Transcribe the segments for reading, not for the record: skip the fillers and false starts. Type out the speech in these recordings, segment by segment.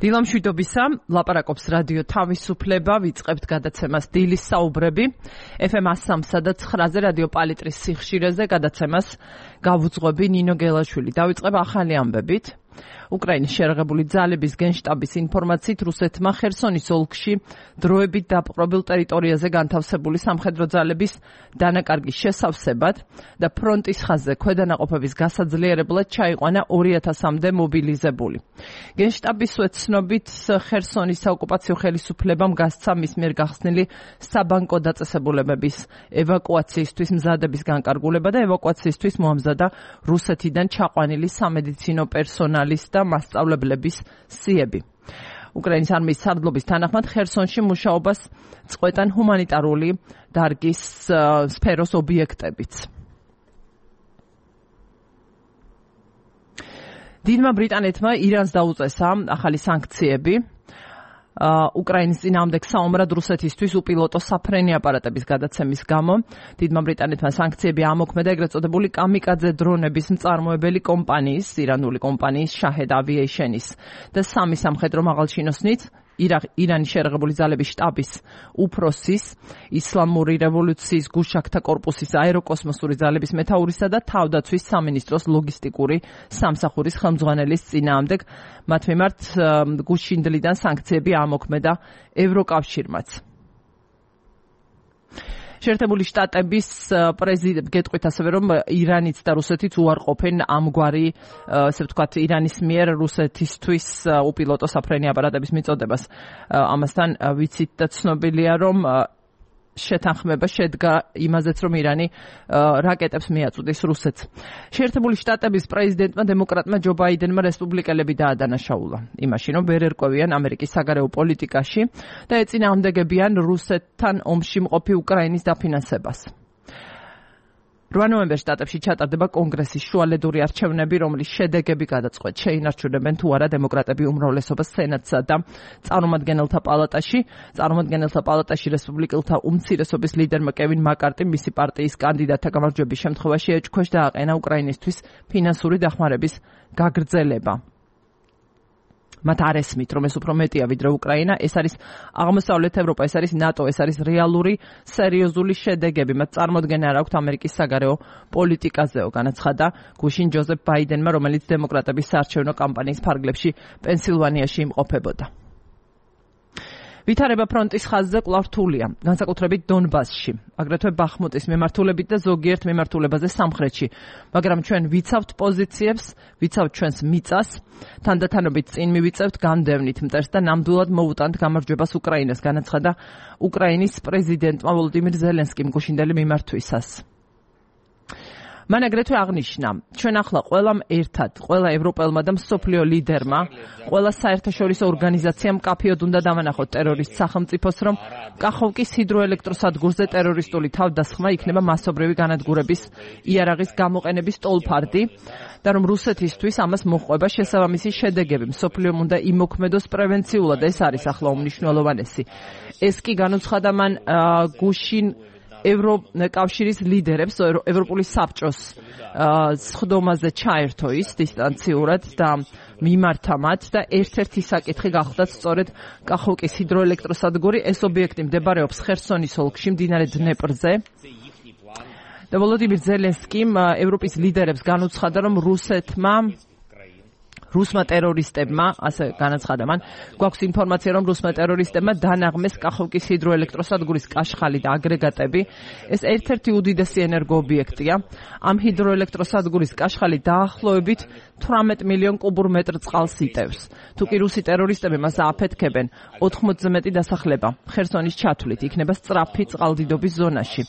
დილამშვიდობისა, ლაპარაკობს რადიო თავისუფლება, ვიწყებთ გადაცემას დილის საუბრები. FM 103 და 9-ზე რადიო პალიტრის სიხშირეზე გადაცემას გავუძღვები ნინო გელაშვილი. დავიწყებ ახალი ამბებით. უკრაინის შერაღებული ძალების გენშტაბის ინფორმაციით რუსეთმა ხერსონის ოლქში დროებით დაპყრობილ ტერიტორიაზე განთავსებული სამხედრო ძალების დანაკარგის შესავსებად და ფრონტის ხაზზე ქვედანაყოფების გასაძლიერებლად ჩაიყვანა 2000-მდე მობილიზებული. გენშტაბის ცნობით ხერსონის საოკუპაციო ხელისუფლებამ გასცა მის მიერ გახსნილი საბანკო დაწესებულებების ევაკუაციისთვის მზადების განკარგულება და ევაკუაციისთვის მოამზადა რუსეთიდან ჩაყვანილი სამედიცინო პერსონალის და მასწავლებლების სიები. უკრაინის არმიის სარდლობის თანახმად ხერსონში მუშაობას წყვეტან ჰუმანიტარული დარგის სფეროს ობიექტებიც. დიდმა ბრიტანეთმა ირანს დაუწესა ახალი სანქციები უკრაინის წინააღმდეგ საომრად რუსეთისთვის უპილოტო საფრენი აპარატების გადაცემის გამო. დიდმა ბრიტანეთმა სანქციები ამოქმედა ეგრეთ წოდებული კამიკაძე დრონების მწარმოებელი კომპანიის, ირანული კომპანიის Shahed Aviation-ის და სამი სამხედრო მაღალჩინოსნით ირანის შერაღებული ძალების შტაბის უფროსის, ისლამური რევოლუციის გუშაქთა კორპუსის აეროკოსმოსური ძალების მეთაურისა და თავდაცვის სამინისტროს ლოგისტიკური სამსახურის ხელმძღვანელის წინააღმდეგ. მათ მიმართ გუშინდლიდან სანქციები ამოქმედა ევროკავშირმაც. შეერთებული შტატების პრეზიდენტი გეტყვით ასევე რომ ირანიც და რუსეთიც უარყოფენ ამგვარი ასე ვთქვათ ირანის მიერ რუსეთისთვის უპილოტო საფრენი აპარატების მიწოდებას. ამასთან ვიცით და ცნობილია რომ შეთანხმება შედგა იმაზეც რომ ირანი რაკეტებს მიაწვდის რუსეთს. შეერთებული შტატების პრეზიდენტმა დემოკრატმა ჯო ბაიდენმა რესპუბლიკელები დაადანაშაულა იმაში რომ ვერ ერკვევიან ამერიკის საგარეო პოლიტიკაში და ეწინააღმდეგებიან რუსეთთან ომში მყოფი უკრაინის დაფინანსებას. 8 ნოემბერს შტატებში ჩატარდება კონგრესის შუალედური არჩევნები, რომლის შედეგები გადაწყვეტ შეინარჩუნებენ თუ არა დემოკრატები უმრავლესობას სენატსა და წარმომადგენელთა პალატაში. წარმომადგენელთა პალატაში რესპუბლიკელთა უმცირესობის ლიდერმა კევინ მაკარტიმ მისი პარტიის კანდიდატთა გამარჯვების შემთხვევაში ეჭქვეშ დააყენა უკრაინისთვის ფინანსური დახმარების გაგრძელება. მათ არ ესმით, რომ ეს უფრო მეტია ვიდრე უკრაინა, ეს არის აღმოსავლეთ ევროპა, ეს არის ნატო, ეს არის რეალური, სერიოზული შედეგები. მათ წარმოდგენა არ აქვთ ამერიკის საგარეო პოლიტიკაზეო, განაცხადა გუშინ ჯოზეფ ბაიდენმა, რომელიც დემოკრატების საარჩევნო კამპანიის ფარგლებში პენსილვანიაში იმყოფებოდა. ვითარება ფრონტის ხაზზე კვლავ რთულია, განსაკუთრებით დონბასში, აგრეთვე ბახმუტის მიმართულებით და ზოგიერთ მიმართულებაზე სამხრეთში, მაგრამ ჩვენ ვიცავთ პოზიციებს, ვიცავთ ჩვენს მიწას, თანდათანობით წინ მივიწევთ განდევნით მტერს და ნამდვილად მოვუტანთ გამარჯვებას უკრაინას, განაცხადა უკრაინის პრეზიდენტმა ვოლოდიმირ ზელენსკიმ გუშინდელი მიმართვისას. მან აგრეთვე აღნიშნა, ჩვენ ახლა ყველამ ერთად, ყველა ევროპელმა და მსოფლიო ლიდერმა, ყველა საერთაშორისო ორგანიზაციამ მკაფიოდ უნდა დავანახოთ ტერორისტ სახელმწიფოს, რომ კახოვკის ჰიდროელექტროსადგურზე ტერორისტული თავდასხმა იქნება მასობრივი განადგურების იარაღის გამოყენების ტოლფარდი და რომ რუსეთისთვის ამას მოჰყვება შესაბამისი შედეგები. მსოფლიომ უნდა იმოქმედოს პრევენციულად, ეს არის ახლა უმნიშვნელოვანესი. ეს კი განუცხადა მან გუშინ ევროკავშირის ლიდერებს, ევროპული საბჭოს სხდომაზე ჩაერთო ის დისტანციურად და მიმართა მათ და ერთ-ერთი საკითხი გახლდათ სწორედ კახოვკის ჰიდროელექტროსადგური. ეს ობიექტი მდებარეობს ხერსონის ოლქში, მდინარე დნეპრზე. და ვოლოდიმირ ზელენსკიმ ევროპის ლიდერებს განუცხადა, რომ რუსმა ტერორისტებმა, ასე განაცხადა მან, გვაქვს ინფორმაცია, რომ რუსმა ტერორისტებმა დანაღმეს კახოვკის ჰიდროელექტროსადგურის კაშხალი და აგრეგატები. ეს ერთ-ერთი უდიდესი ენერგოობიექტია. ამ ჰიდროელექტროსადგურის კაშხალი დაახლოებით 18 მილიონ კუბურ მეტრ წყალს იტევს. თუ კი რუსი ტერორისტები მას აფეთქებენ, 80-ზე მეტი დასახლება ხერსონის ჩათვლით იქნება სწრაფი წყალდიდობის ზონაში.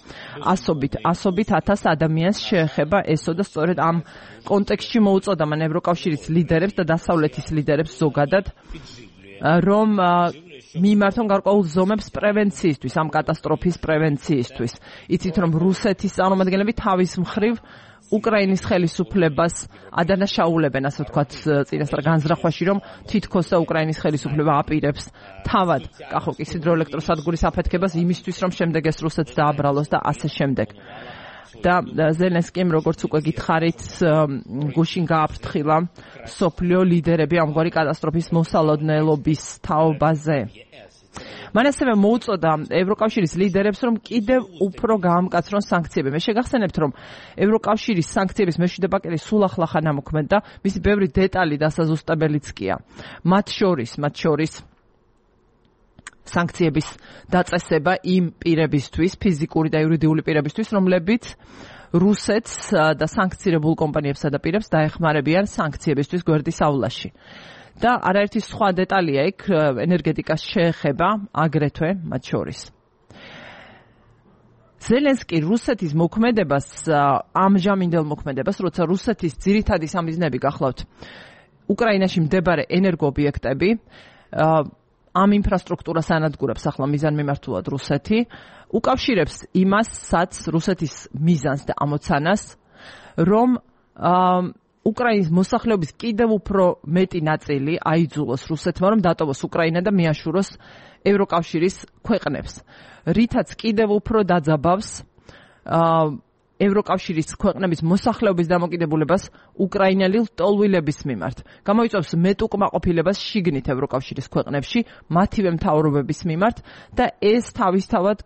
ასობით 1000 ადამიანს შეეხება ესო და სწორედ ამ კონტექსტში მოუწოდა მან ევროკავშირის ლიდერებს და დასავლეთის ლიდერებს ზოგადად, რომ მიმართონ გარკვეულ ზომებს პრევენციისთვის, ამ კატასტროფის პრევენციისთვის. იცით, რომ რუსეთის წარმომადგენლები თავის მხრივ უკრაინის ხელისუფლებას ადანაშაულებენ, ასე ვთქვათ, წინასწარ განზრახვაში, რომ თითქოს და უკრაინის ხელისუფლება აპირებს თავად კახოვკის ჰიდროელექტროსადგურის აფეთქებას იმისთვის, რომ შემდეგ ეს რუსეთს დააბრალოს და ასე შემდეგ. და ზელენსკიმ როგორც უკვე გითხარით გუშინ გააფრთხილა სოფლიო ლიდერები ამგვარი კატასტროფის მოსალოდნელობის თაობაზე. მან ასევე მოუწოდა ევროკავშირის ლიდერებს, რომ კიდევ უფრო გაამკაცრონ სანქციები. მე შეგახსენებთ, რომ ევროკავშირის სანქციების მეშვიდე პაკეტი სულ ახლახან ამოქმედდა, მისი ბევრი დეტალი დასაზუსტებელიც კია. მათ შორის სანქციების დაწესება იმ პირებისთვის, ფიზიკური და იურიდიული პირებისთვის, რომლებიც რუსეთს და სანქცირებულ კომპანიებსა და პირებს დაეხმარებიან სანქციებისთვის გვერდის ავლაში. და არაერთი სხვა დეტალია იქ ენერგეტიკას შეეხება აგრეთვე მათ შორის. ზელენსკი რუსეთის მოქმედებას, ამჟამინდელ მოქმედებას, როცა რუსეთის ძირითადი სამიზნეები გახლავთ უკრაინაში მდებარე ენერგოობიექტები, ამ ინფრასტრუქტურას ანადგურებს ახლა მიზანმიმართულად რუსეთი, უკავშირებს იმასაც რუსეთის მიზანს და ამოცანას, რომ უკრაინის მოსახლეობის კიდევ უფრო მეტი ნაწილი აიძულოს რუსეთმა, რომ დატოვოს უკრაინა და მიაშუროს ევროკავშირის ქვეყნებს, რითაც კიდევ უფრო დაძაბავს ევროკავშირის ქვეყნების მოსახლეობის დამოკიდებულებას უკრაინელი ლტოლვილების მიმართ. გამოიწვევს მეტუკმაყოფილებას შიგნით ევროკავშირის ქვეყნებში, მათივე მთავრობების მიმართ და ეს თავისთავად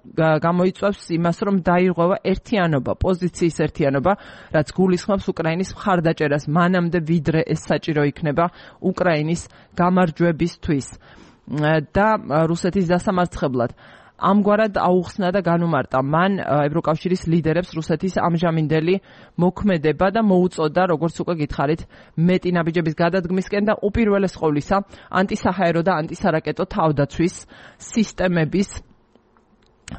გამოიწვევს იმას, რომ დაირღვევა ერთიანობა, პოზიციის ერთიანობა, რაც გულისხმობს უკრაინის მხარდაჭერას მანამდე, ვიდრე ეს საჭირო იქნება უკრაინის გამარჯვებისთვის და რუსეთის დასამარცხებლად. ამგვარად აუხსნა და განუმარტა მან ევროკავშირის ლიდერებს რუსეთის ამჟამინდელი მოქმედება და მოუწოდა, როგორც უკვე გითხარით, მეტი ნაბიჯების გადადგმისკენ და უპირველეს ყოვლისა ანტისაჰაერო და ანტისარაკეტო თავდაცვის სისტემების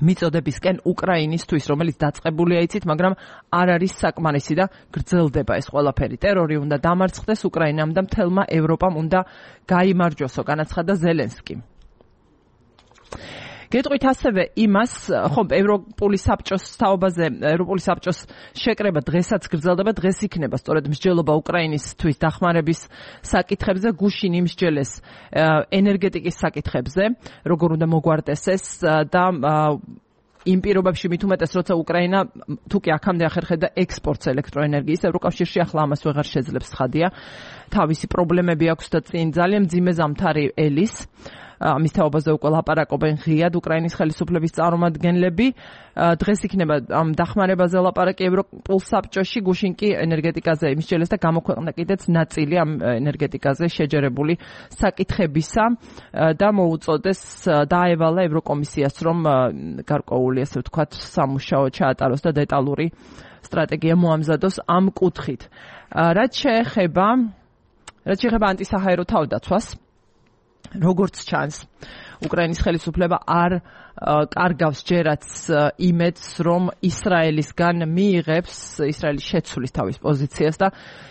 მიწოდებისკენ უკრაინისთვის, რომელიც დაწყებულია იცით, მაგრამ არ არის საკმარისი და გრძელდება ეს ყველაფერი. ტერორი უნდა დამარცხდეს უკრაინამ და მთელმა ევროპამ უნდა გაიმარჯვოსო, განაცხადა ზელენსკი. გეტყვით ასევე იმას, ხომ ევროპული საბჭოს თაობაზე, ევროპული საბჭოს შეკრება დღესაც გრძელდება, დღეს იქნება სწორედ მსჯელობა უკრაინისთვის დახმარების საკითხებზე, გუშინ იმსჯელეს ენერგეტიკის საკითხებზე, როგორ უნდა მოგვარდეს ეს და იმ პირობებში მით უმეტეს, როცა უკრაინა თუკი აქამდე ახერხებდა ექსპორტს ელექტროენერგიის, ევროკავშირში ახლა ამას ვეღარ შეძლებს, ცხადია. თავისი პრობლემები აქვს და წინ ძალიან მძიმე ზამთარი ელის. ამის თაობაზე უკვე ლაპარაკობენ ღიად უკრაინის ხელისუფლების წარმომადგენლები. დღეს იქნება ამ დახმარებაზე ლაპარაკი ევროპულ საბჭოში, გუშინ კი ენერგეტიკაზე იმსჯელეს და გამოქვეყნდა კიდეც ნაწილი ამ ენერგეტიკაზე შეჯერებული საკითხებისა და მოუწოდეს დაევალა ევროკომისიას, რომ გარკვეული, ასე ვთქვათ, სამუშაო ჩაატაროს და დეტალური სტრატეგია მოამზადოს ამ კუთხით. რაც შეეხება ანტისაჰაერო თავდაცვას, როგორც ჩანს, უკრაინის ხელისუფლება არ კარგავს ჯერაც იმედს, რომ ისრაელისგან მიიღებს, ისრაელის შეცვლის თავის პოზიციას და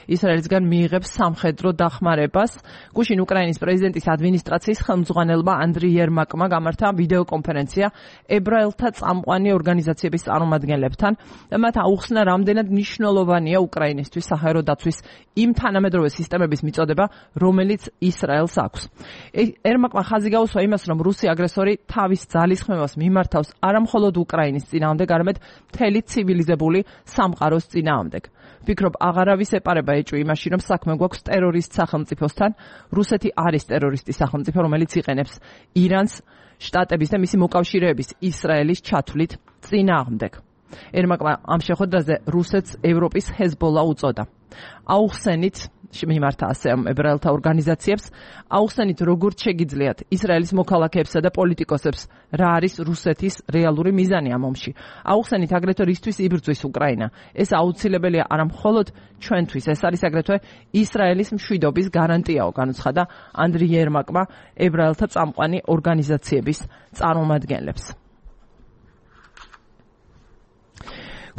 ისრაელისგან მიიღებს სამხედრო დახმარებას. გუშინ უკრაინის პრეზიდენტის ადმინისტრაციის ხელმძღვანელმა ანდრი იერმაკმა გამართა ვიდეო კონფერენცია ებრაელთა წამყვანი ორგანიზაციების წარმომადგენლებთან და მათ აუხსნა, რამდენად მნიშვნელოვანია უკრაინისთვის საჰაერო დაცვის იმ თანამედროვე სისტემების მიწოდება, რომელიც ისრაელს აქვს. იერმაკმა ხაზი გაუსვა იმას, რომ რუსი აგრესორი თავის ძალისხმევას მიმართავს არა მხოლოდ უკრაინის წინააღმდეგ, არამედ მთელი ცივილიზებული სამყაროს წინააღმდეგ. ვფიქრობ, აღარავის ეპარება ეჭვი იმაში, რომ საქმე გვაქვს ტერორისტ სახელმწიფოსთან. რუსეთი არის ტერორისტი სახელმწიფო, რომელიც იყენებს ირანს, შტატების და მისი მოკავშირეების ისრაელის ჩათვლით წინააღმდეგ. იერმაკმა ამ შეხვედრაზე რუსეთს ევროპის ჰეზბოლა უწოდა. აუხსენით მიმართა ასე ამ ებრაელთა ორგანიზაციებს, აუხსენით როგორც შეგიძლიათ ისრაელის მოქალაქეებსა და პოლიტიკოსებს რა არის რუსეთის რეალური მიზანი ამ ომში. აუხსენით აგრეთვე რისთვის იბრძვის უკრაინა. ეს აუცილებელია არა მხოლოდ ჩვენთვის, ეს არის აგრეთვე ისრაელის მშვიდობის გარანტიაო, განუცხადა ანდრი იერმაკმა ებრაელთა წამყვანი ორგანიზაციების წარმომადგენლებს.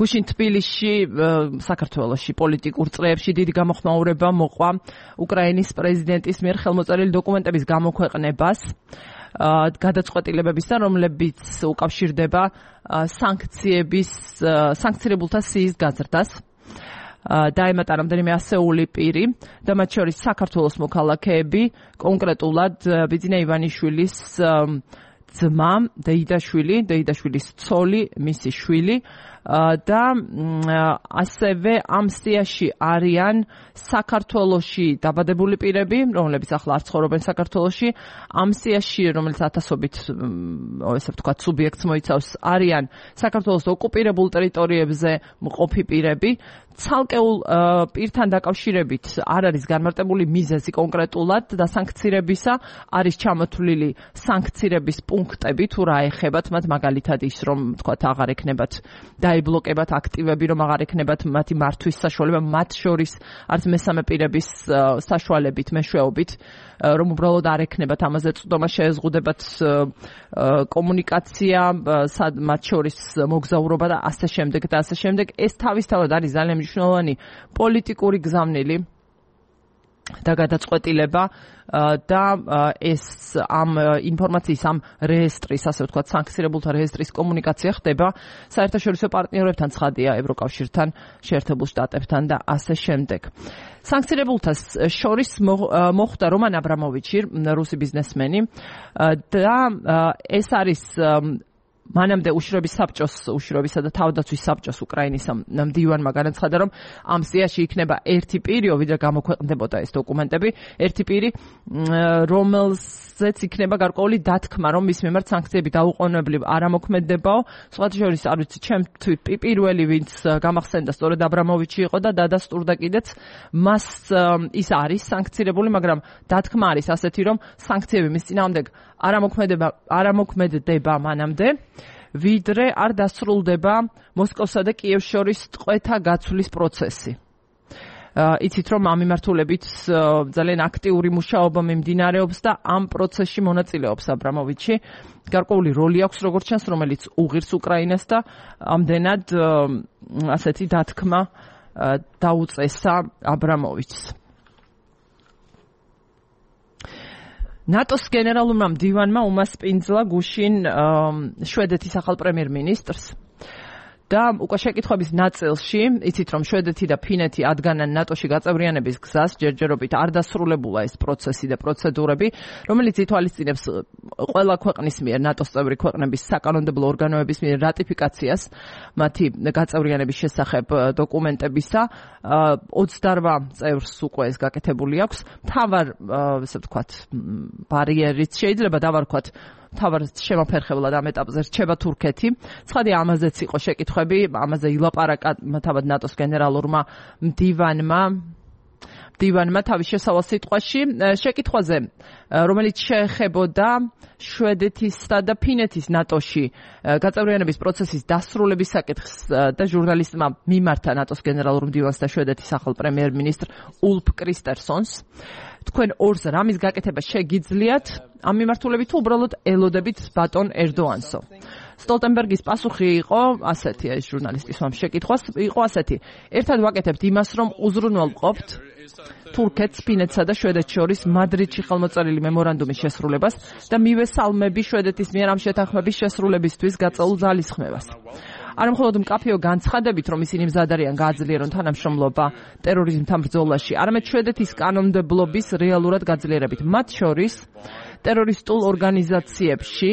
გუშინ თბილისში, საქართველოში პოლიტიკურ წრეებში დიდი გამოხმაურება მოყვა უკრაინის პრეზიდენტის მიერ ხელმოწერილი დოკუმენტების გამოქვეყნებას, გადაწყვეტილებებისა, რომლებიც უკავშირდება სანქცირებულთა სიის გაზრდას. დაემატა რამდენიმე ასეული პირი და მათ შორის საქართველოს მოქალაქეები, კონკრეტულად ბიძინა ივანიშვილის ძმა, დეიდაშვილის ცოლი, მისი შვილი და ასევე ამ სიაში არიან საქართველოში დაბადებული პირები, რომლებიც ახლა არ ცხოვრობენ საქართველოში, ამ სიაში, რომელიც ათასობით, ესე ვთქვათ, სუბიექტს მოიცავს, არიან საქართველოს ოკუპირებულ ტერიტორიებზე მყოფი პირები. ცალკეულ პირთან დაკავშირებით არ არის განმარტებული მიზეზი კონკრეტულად დასანქცირებისა, არის ჩამოთვლილი სანქცირების პუნქტები, თუ რა ეხებათ მათ, მაგალითად ის, რომ თქვათ აღარ ექნებათ დაიბლოკებათ აქტივები, რომ აღარ ექნებათ მათი მართვის საშუალება, მათ შორის არც მესამე პირების საშუალებით, მეშვეობით, რომ უბრალოდ არ ექნებათ ამაზე წვდომა, შეეზღუდებათ კომუნიკაცია, მათ შორის მოგზაურობა და ასე შემდეგ და ასე შემდეგ. ეს თავისთავად არის ძალიან მნიშვნელოვანი პოლიტიკური გზავნილი და გადაწყვეტილება და ეს ამ ინფორმაციის ამ რეესტრის, ასე ვთქვათ, სანქცირებულთა რეესტრის კომუნიკაცია ხდება საერთაშორისო პარტნიორებთან, ცხადია, ევროკავშირთან, შეერთებულ შტატებთან და ასე შემდეგ. სანქცირებულთა შორის მოხვდა რომან აბრამოვიჩი, რუსი ბიზნესმენი და ეს არის მანამდე უშრობისა და თავდაცვის საბჭოს უკრაინის მდივანმა განაცხადა, რომ ამ სიაში იქნება ერთი პირი, ვიდრე გამოქვეყნდებოდა ეს დოკუმენტები, ერთი პირი, რომელზეც იქნება გარკვეული დათქმა, რომ მის მიმართ სანქციები დაუყოვნებლივ არ ამოქმედებაო. სხვათა შორის, არ ვიცი, ჩემთვის პირველი, ვინც გამახსენდა, სწორედ აბრამოვიჩი იყო და დადასტურდა კიდეც, მას ის არის სანქცირებული, მაგრამ დათქმა არის ასეთი, რომ სანქციები მის წინააღმდეგ არ ამოქმედება მანამდე, ვიდრე არ დასრულდება მოსკოვსა და კიევს შორის ტყვეთა გაცვლის პროცესი. იცით, რომ ამ მიმართულებით ძალიან აქტიური მუშაობა მიმდინარეობს და ამ პროცესში მონაწილეობს აბრამოვიჩი. გარკვეული როლი აქვს, როგორც ჩანს, რომელიც უღირს უკრაინას და ამდენად ასეთი დათქმა დაუწესა აბრამოვიჩს. ნატოს გენერალურმა მდივანმა უმასპინძლა გუშინ შვედეთის ახალ პრემიერ-მინისტრს და უკვე შეკითხვების ნაწილში, იცით, რომ შვედეთი და ფინეთი ადგანან ნატოში გაწევრიანების გზას, ჯერჯერობით არ დასრულებულა ეს პროცესი და პროცედურები, რომელიც ითვალისწინებს ყველა ქვეყნის მიერ, ნატოს წევრი ქვეყნების საკანონმდებლო ორგანოების მიერ რატიფიკაციას მათი გაწევრიანების შესახებ დოკუმენტებისა. 28 წევრს უკვე ეს გაკეთებული აქვს. მთავარ, ესე ვთქვათ, ბარიერიც შეიძლება დავარქვათ, თავად შემოფერხებლად ამ ეტაპზე რჩება თურქეთი. ცხადია, ამაზეც იყო შეკითხვები, ამაზე ილაპარაკა თავად ნატოს გენერალურმა მდივანმა თავის შესავალ სიტყვაში. შეკითხვაზე, რომელიც შეეხებოდა შვედეთისა და ფინეთის ნატოში გაწევრიანების პროცესის დასრულების საკითხს და ჟურნალისტმა მიმართა ნატოს გენერალურ მდივანს და შვედეთის ახალ პრემიერ-მინისტრ ულფ კრისტერსონს. თქვენ ორს რამის გაკეთება შეგიძლიათ ამ მიმართულებით, თუ უბრალოდ ელოდებით ბატონ ერდოანსო? სტოლტენბერგის პასუხი იყო ასეთი, ეს ჟურნალისტის ამ შეკითხვას იყო ასეთი: ერთად ვაკეთებთ იმას, რომ უზრუნველყოფთ თურქეთს, ფინეთსა და შვედეთს შორის მადრიდში ხელმოწერილი მემორანდუმის შესრულებას და მივესალმები შვედეთის მიერ ამ შეთანხმების შესრულებისთვის გაწეულ ძალისხმევას. არა მხოლოდ მკაფიო განცხადებით, რომ ისინი მზად არიან გააძლიერონ თანამშრომლობა ტერორიზმთან ბრძოლაში, არამედ შვედეთის კანონმდებლობის რეალურად გაძლიერებით, მათ შორის ტერორისტულ ორგანიზაციებში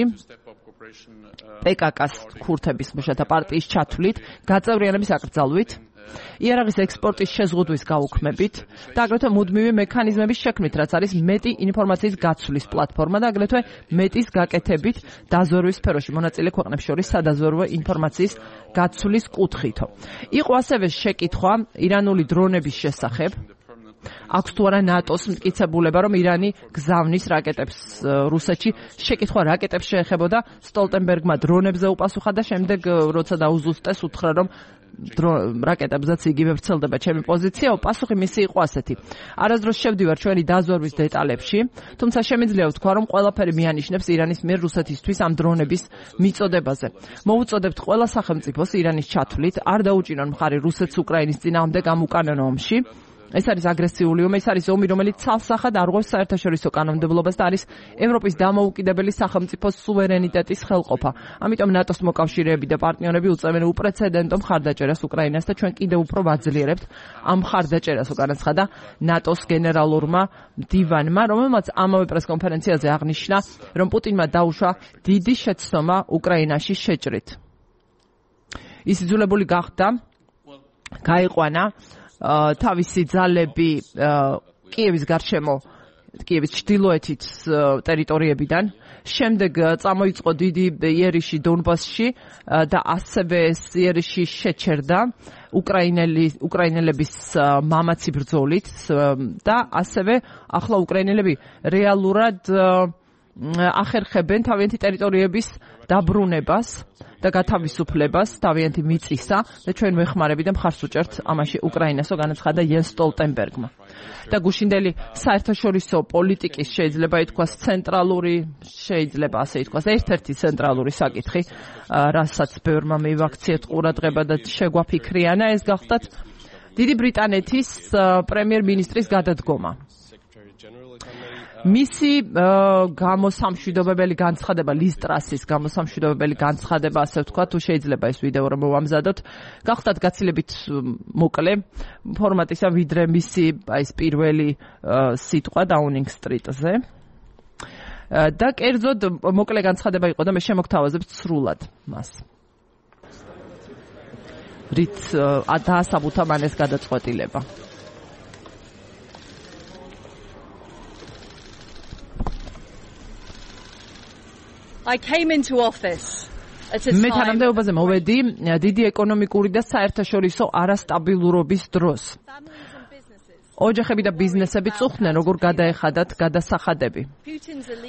PKK-ს ქურთების მუშათა პარტიის ჩათვლით, გაწევრიანების აკრძალვით, იარაღის ექსპორტის შეზღუდვის გაუქმებით და აგრეთვე მუდმივი მექანიზმების შექმნით, რაც არის მეტი ინფორმაციის გაცვლის პლატფორმა და აგრეთვე მეტის გაკეთებით დაზვერვის სფეროში მონაწილე ქვეყნებს შორის სადაზვერვო ინფორმაციის გაცვლის კუთხითო. იყო ასევე შეკითხვა ირანული დრონების შესახებ. აქვს თუ არა ნატოს მტკიცებულება, რომ ირანი გზავნის რაკეტებს რუსეთში? შეკითხვა რაკეტებს შეეხებოდა, სტოლტენბერგმა დრონებზე უპასუხა და შემდეგ, როცა დაუზუსტეს, უთხრა, რომ რაკეტებზეც იგივე ვრცელდება ჩემი პოზიცია. პასუხი მისი იყო ასეთი: არასდროს შევდივარ ჩვენი დაზვერვის დეტალებში, თუმცა შემიძლია ვთქვა, რომ ყველაფერი მიანიშნებს ირანის მიერ რუსეთისთვის ამ დრონების მიწოდებაზე. მოვუწოდებთ ყველა სახელმწიფოს ირანის ჩათვლით, არ დაუჭირონ მხარი რუსეთს უკრაინის წინააღმდეგ ამ უკანონო ომში ეს არის აგრესიული ომი, ეს არის ომი, რომელიც ცალსახად არღვევს საერთაშორისო კანონმდებლობას და არის ევროპის დამოუკიდებელი სახელმწიფოს სუვერენიტეტის ხელყოფა. ამიტომ ნატოს მოკავშირეები და პარტნიორები უწევენ უპრეცედენტო მხარდაჭერას უკრაინას და ჩვენ კიდევ უფრო ვაძლიერებთ ამ მხარდაჭერას, განაცხადა ნატოს გენერალურმა მდივანმა, რომელმაც ამავე პრესკონფერენციაზე აღნიშნა, რომ პუტინმა დაუშვა დიდი შეცდომა უკრაინაში შეჭრით. ის იძულებული გახდა გაიყვანა თავისი ძალები კიევის გარშემო, კიევის ჩრდილოეთით ტერიტორიებიდან, შემდეგ წამოიწყო დიდი იერიში დონბასში და ასევე ეს იერიში შეჩერდა უკრაინელების მამაცი ბრძოლით და ასევე ახლა უკრაინელები რეალურად ახერხებენ თავიანთი ტერიტორიების დაბრუნებას და გათავისუფლებას თავიანთი მიწისა და ჩვენ ვეხმარები და მხარს ვუჭერთ ამაში უკრაინასო, განაცხადა იენს სტოლტენბერგმა. და გუშინდელი საერთაშორისო პოლიტიკის შეიძლება ითქვას ცენტრალური, შეიძლება ასე ითქვას, ერთ-ერთი ცენტრალური საკითხი, რასაც ბევრმა მივაქციეთ ყურადღება და შეგვაფიქრიანა, ეს გახდათ დიდი ბრიტანეთის პრემიერ-მინისტრის გადადგომა. მისი გამოსამშვიდობებელი განცხადება, ლის ტრასის გამოსამშვიდობებელი განცხადება, ასე ვთქვათ, თუ შეიძლება ეს ვიდეო რომ მოვამზადოთ, გახდათ გაცილებით მოკლე ფორმატისა, ვიდრე მისი ეს პირველი სიტყვა დაუნინგ სტრიტზე. და კერძოდ მოკლე განცხადება იყო და მე შემოგთავაზებთ სრულად მას. რით დაასაბუთა მან ეს გადაწყვეტილება. მე თანამდებობაზე მოვედი დიდი ეკონომიკური და საერთაშორისო არასტაბილურობის დროს. ოჯახები და ბიზნესები წუხდნენ, როგორ გადაეხადათ გადასახადები.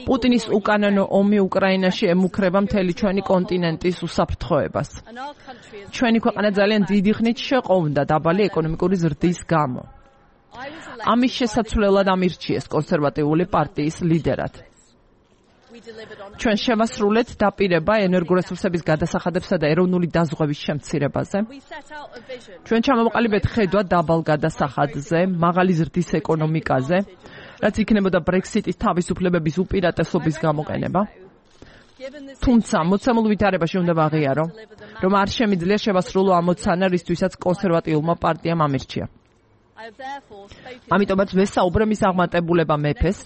პუტინის უკანონო ომი უკრაინაში ემუქრება მთელი ჩვენი კონტინენტის უსაფრთხოებას. ჩვენი ქვეყანა ძალიან დიდი ხნით შეყოვდა დაბალი ეკონომიკური ზრდის გამო. ამის შესაცვლელად ამირჩიეს კონსერვატიული პარტიის ლიდერად. ჩვენ შევასრულეთ დაპირება ენერგორესურსების გადასახადებსა და ეროვნული დაზღვევის შემცირებაზე. ჩვენ ჩამოვყალიბეთ ხედვა დაბალ გადასახადზე, მაღალი ზრდის ეკონომიკაზე, რაც იქნებოდა ბრექსიტის თავისუფლებების უპირატესობის გამოყენება. თუმცა მოცემულ ვითარებაში უნდა ვაღიარო, რომ არ შემიძლია შევასრულო ამოცანა, რისთვისაც კონსერვატიულმა პარტიამ ამირჩია. ამიტომაც ვესაუბრე მის აღმატებულება მეფეს,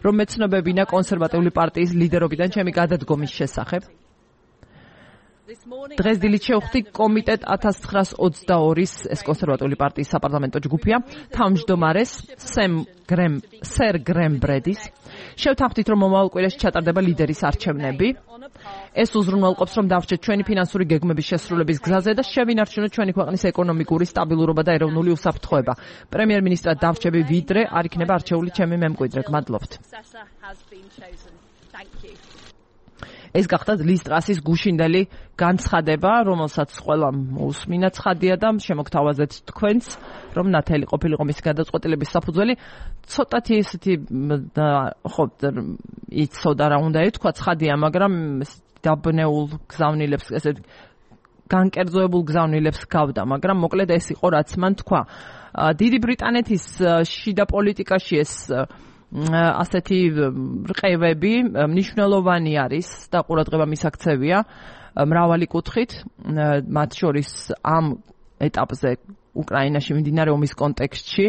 რომ მეცნობებინა კონსერვატიული პარტიის ლიდერობიდან ჩემი გადადგომის შესახებ. დღეს დილით შევხვდი კომიტეტ 1922-ის, ეს კონსერვატიული პარტიის საპარლამენტო ჯგუფია, თავმჯდომარეს სერ გრემ ბრედის. შევთანხმდით, რომ მომავალ კვირაში ჩატარდება ლიდერის არჩევნები. ეს უზრუნველყოფს, რომ დავჭეთ ჩვენი ფინანსური გეგმების შესრულების გზაზე და შევინარჩუნოთ ჩვენი ქვეყნის ეკონომიკური სტაბილურობა და ეროვნული უსაფრთხოება. პრემიერ-მინისტრად დავრჩები, ვიდრე არ იქნება არჩეული ჩემი მემკვიდრე. გმადლობთ. ეს გახდა ლის ტრასის გუშინდელი განცხადება, რომელსაც ყველამ უსმინა ცხადია და შემოგთავაზეთ თქვენც, რომ ნათელი ყოფილიყო მისი გადაწყვეტილების საფუძველი. ცოტათი ესეთი ხო იცოდა რა უნდა ეთქვა, ცხადია, მაგრამ დაბნეულ გზავნილებს, ესეთ განკერძოებულ გზავნილებს გავდა, მაგრამ მოკლედ ეს იყო რაც მან თქვა. დიდი ბრიტანეთის შიდა პოლიტიკაში ეს ასეთი რყევები მნიშვნელოვანი არის და ყურადღება მისაქცევია მრავალი კუთხით, მათ შორის ამ ეტაპზე უკრაინაში მიმდინარე ომის კონტექსტში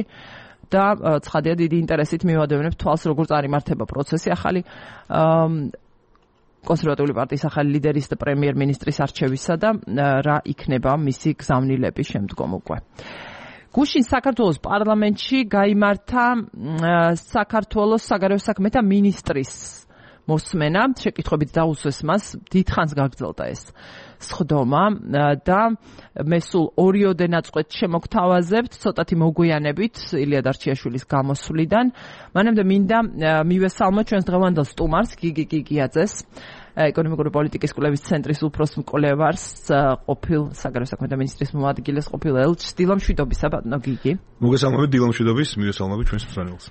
და ცხადია დიდი ინტერესით მივადევნებ თვალს, როგორ წარიმართება პროცესი ახალი კონსერვატიული პარტიის ახალი ლიდერის და პრემიერ-მინისტრის არჩევისა და რა იქნება მისი გზავნილების შემდგომ უკვე. გუშინ საქართველოს პარლამენტში გაიმართა საქართველოს საგარეო საქმეთა მინისტრის მოსმენა, შეკითხვებით დაუსვეს მას, დიდხანს გაგრძელდა ეს სხდომა და მე სულ ორიოდე ნაწყვეტ შემოგთავაზებთ, ცოტათი მოგვიანებით ილია დარჩიაშვილის გამოსვლიდან. მანამდე მინდა მივესალმოთ ჩვენს დღევანდელ სტუმარს, გიგი გიგიაძეს, ეკონომიკური პოლიტიკის კვლევის ცენტრის უფროს მკვლევარს, ყოფილ საგარეო საქმეთა მინისტრის მოადგილეს, ყოფილ ელჩს. დილამშვიდობისა, ბატონო გიგი. მოგესალმებით, დილამშვიდობის, მივესალმებით ჩვენს მსმენელს.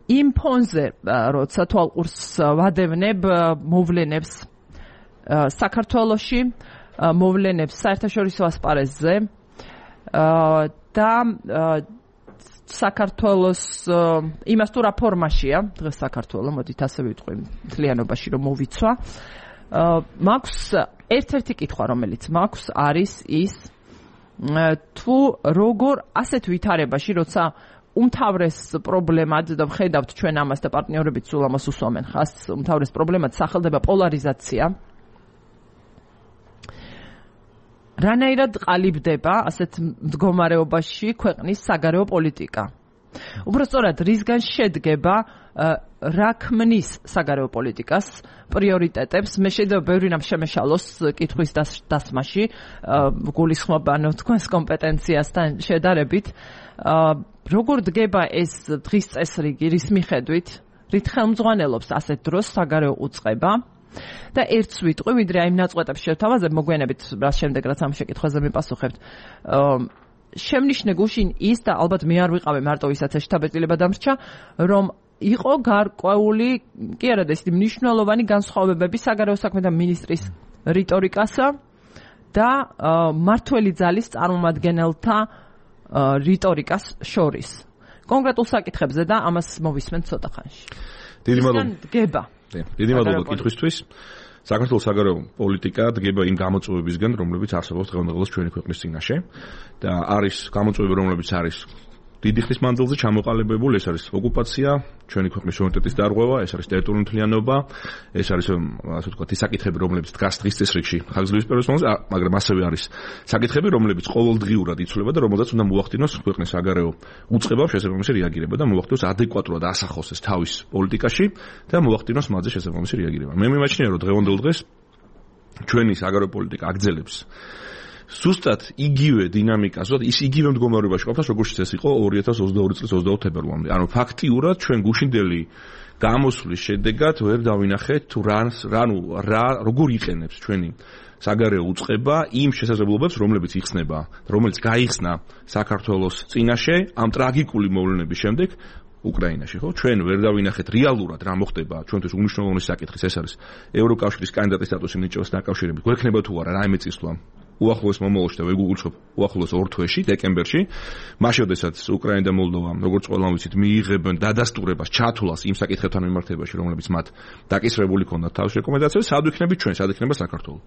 იმ ფონზე, როცა თვალყურს ვადევნებ მოვლენებს საქართველოში, მოვლენებს საერთაშორისო ასპარეზზე და საქართველოს იმას თუ რა ფორმაშია დღეს საქართველო, მოდით ასე ვიტყვი, მთლიანობაში რომ მოვიცვა. მაქვს ერთ-ერთი კითხვა, რომელიც მაქვს, არის ის თუ როგორ ასეთ ვითარებაში, როცა უმთავრეს პრობლემად და ვხედავთ ჩვენ ამას და პარტნიორებიც სულ ამას უსვამენ ხას, უმთავრეს პრობლემად სახელდება პოლარიზაცია. რანაირად ყალიბდება ასეთ მდგომარეობაში ქვეყნის საგარეო პოლიტიკა? უბრალოდ რისგან შედგება რა ქმნის საგარეო პოლიტიკას პრიორიტეტებს? მე შეიძლება ბევრი რამ შემეშალოს კითხვის დასმაში, გულისხმობ ანუ თქვენს კომპეტენციასთან შედარებით. როგორ დგება ეს დღის წესრიგი, რის მიხედვით, რით ხელმძღვანელობს ასეთ დროს საგარეო უწყება? და ერთს ვიტყვი, ვიდრე აი იმ ნაწყვეტებს შევთავაზებ, მოგვიანებით რას შემდეგ რაც ამ შეკითხვაზე მიპასუხებთ. შემნიშნე გუშინ ის და ალბათ მე არ ვიყავი მარტო ვისაც შტაბ-ეტილება დამრჩა, რომ იყო გარკვეული, კი არა და ისეთი მნიშვნელოვანი განსხვავებები საგარეო საქმეთა მინისტრის რიტორიკასა და მმართველი ძალის წარმომადგენელთა რიტორიკას შორის. კონკრეტულ საკითხებზე და ამას მოვისმენ ცოტა ხანში. დიდი მადლობა. დგება. დიდი მადლობა კითხვისთვის. საქართველოს საგარეო პოლიტიკა დგება იმ გამოწვევებისგან, რომლებიც არსებობს დღევანდელს ჩვენი ქვეყნის წინაშე და არის გამოწვევები, რომლებიც არის დიდი ხნის მანძილზე ჩამოყალიბებული, ეს არის ოკუპაცია, ჩვენი ქვეყნის სუვერენიტეტის დარღვევა, ეს არის ტერიტორიული მთლიანობა, ეს არის ასე ვთქვათ, ის საკითხები, რომლებიც დგას დღის წესრიგში ხანგრძლივი პერიოდის მანძილზე, მაგრამ ასევე არის საკითხები, რომლებიც ყოველდღიურად იცვლება და რომელზეც უნდა მოახდინოს ქვეყნის საგარეო უწყება, შესაბამისი რეაგირება და მოახდინოს ადეკვატურად ასახოს ეს თავის პოლიტიკაში და მოახდინოს მათზე შესაბამისი რეაგირება. მე მიმაჩნია, რომ დღევანდელ დღეს ჩვენი საგარეო პოლიტიკა აგრძელებს ზუსტად იგივე დინამიკას, ის იგივე მდგომარეობაში ყოფას, როგორც ეს იყო 2022 წლის 22 თებერვლამდე. ანუ ფაქტიურად ჩვენ გუშინდელი გამოსვლის შედეგად ვერ დავინახეთ თუ როგორ იყენებს ჩვენი საგარეო უწყება იმ შესაძლებლობებს, რომელიც გაიხსნა საქართველოს წინაშე ამ ტრაგიკული მოვლენების შემდეგ უკრაინაში, ხო? ჩვენ ვერ დავინახეთ რეალურად რა მოხდება ჩვენთვის უმნიშვნელოვანესი საკითხის, ეს არის ევროკავშირის კანდიდატის სტატუსის მინიჭებას დაკავშირებით. გვექნება თუ არა რაიმე წისვლა უახლოეს მომავალში და ვეგუგულწრფობ უახლოეს 2 თვეში, დეკემბერში, მაშინ როდესაც უკრაინა და მოლდოვა, როგორც ყველამ ვიცით, მიიღებენ დადასტურებას, ჩათვლას იმ საკითხებთან მიმართებაში, რომლებიც მათ დაკისრებული ჰქონდათ თავის რეკომენდაციებს, სად ვიქნებით ჩვენ, სად იქნება საქართველო.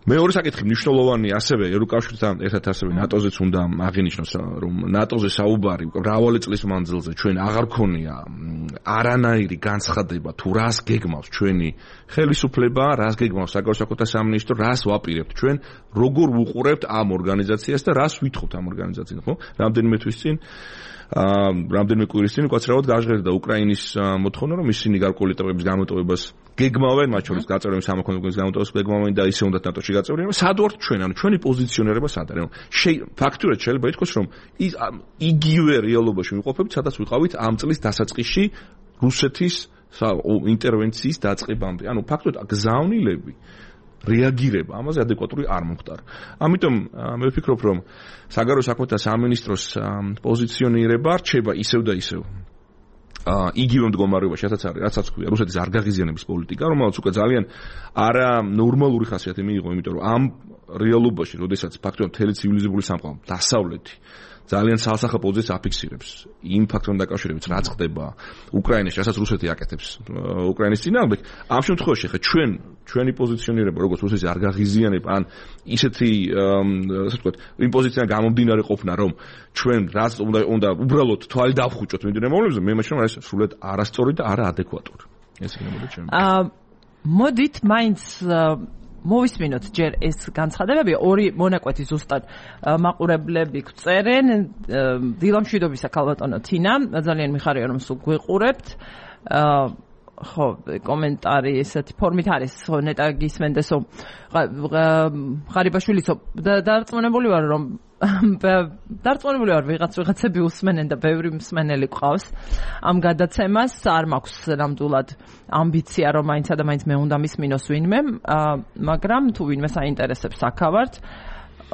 მეორე საკითხი მნიშვნელოვანი ასევე ევროკავშირთან ერთად ასევე ნატოზეც უნდა აღინიშნოს, რომ ნატოზე საუბარი მრავალი წლის მანძილზე ჩვენ აღარ ქონია არანაირი განცხადება თუ რას გეგმავს ჩვენი ხელისუფლება, რას გეგმავს საგარეო საქმეთა სამინისტრო, რას ვაპირებთ ჩვენ, როგორ ვუყურებთ ამ ორგანიზაციას და რას ვითხოვთ ამ ორგანიზაციიდან, ხო? რამდენიმე თვის წინ რამდენიმე კვირის წინ უკაცრავად გაჟღერდა უკრაინის მოთხოვნა, რომ ისინი გარკვეული ტიპების გამოტოვებას გეგმავენ, მათ შორის გაწევრიანების სამოქალაქო გეგმავენ და ისე უნდათ ნატოში გაწევრიანება. სად ვართ ჩვენ? ანუ ჩვენი პოზიციონირება სად არის? ფაქტურად შეიძლება ითქვას, რომ იგივე რეალობაში ვიყოფებით, სადაც ვიყავით ამ წლის დასაწყისში რუსეთის ინტერვენციის დაწყებამდე. ანუ ფაქტურად გზავნილები რეაგირება ამაზე ადეკვატური არ მომხდარა. ამიტომ მე ვფიქრობ, რომ საგარეო საქმეთა სამინისტროს პოზიციონირება რჩება ისევ და ისევ იგივე მდგომარეობაში, რასაც ქვია რუსეთის არგაღიზიანების პოლიტიკა, რომელიც უკვე ძალიან არა ნორმალური ხასიათი მიიღო, იმიტომ რომ ამ რეალობაში, როდესაც ფაქტობრივად მთელი ცივილიზებული სამყარო დასავლეთი ძალიან ცალსახა პოზიციას აფიქსირებს იმ ფაქტორთან დაკავშირებით, რაც ხდება უკრაინაში, რასაც რუსეთი აკეთებს უკრაინის წინააღმდეგ. ამ შემთხვევაში ხა ჩვენი პოზიციონირება, როგორც რუსეთის არგაღიზიანება, ან ისეთი ასე ვთქვათ, იმ პოზიციიდან გამომდინარე ყოფნა, რომ ჩვენ რაც უნდა უბრალოდ თვალი დავხუჭოთ მიმდინარე მოვლენებზე, მე მაშინ ეს სრულად არასწორი და არაადეკვატური. ეს იქნებოდა ჩემი. მოდით მაინც მოვისმინოთ ჯერ ეს განცხადებები, ორი მონაკვეთი ზუსტად მაყურებლები გწერენ. დილამშვიდობისა ქალბატონო თინა, ძალიან მიხარია რომ სულ გვიყურებთ. ხო, კომენტარი ესეთი ფორმით არის, ხო, ნეტა გისმენდესო ღარიბაშვილიცო დარწმუნებული ვარ რომ ვიღაცები უსმენენ და ბევრი მსმენელი ყავს ამ გადაცემას. არ მაქვს ნამდვილად ამბიცია რომ მაინცა და მაინც მე უნდა მისმინოს ვინმე, მაგრამ თუ ვინმე საინტერესებს აქავართ.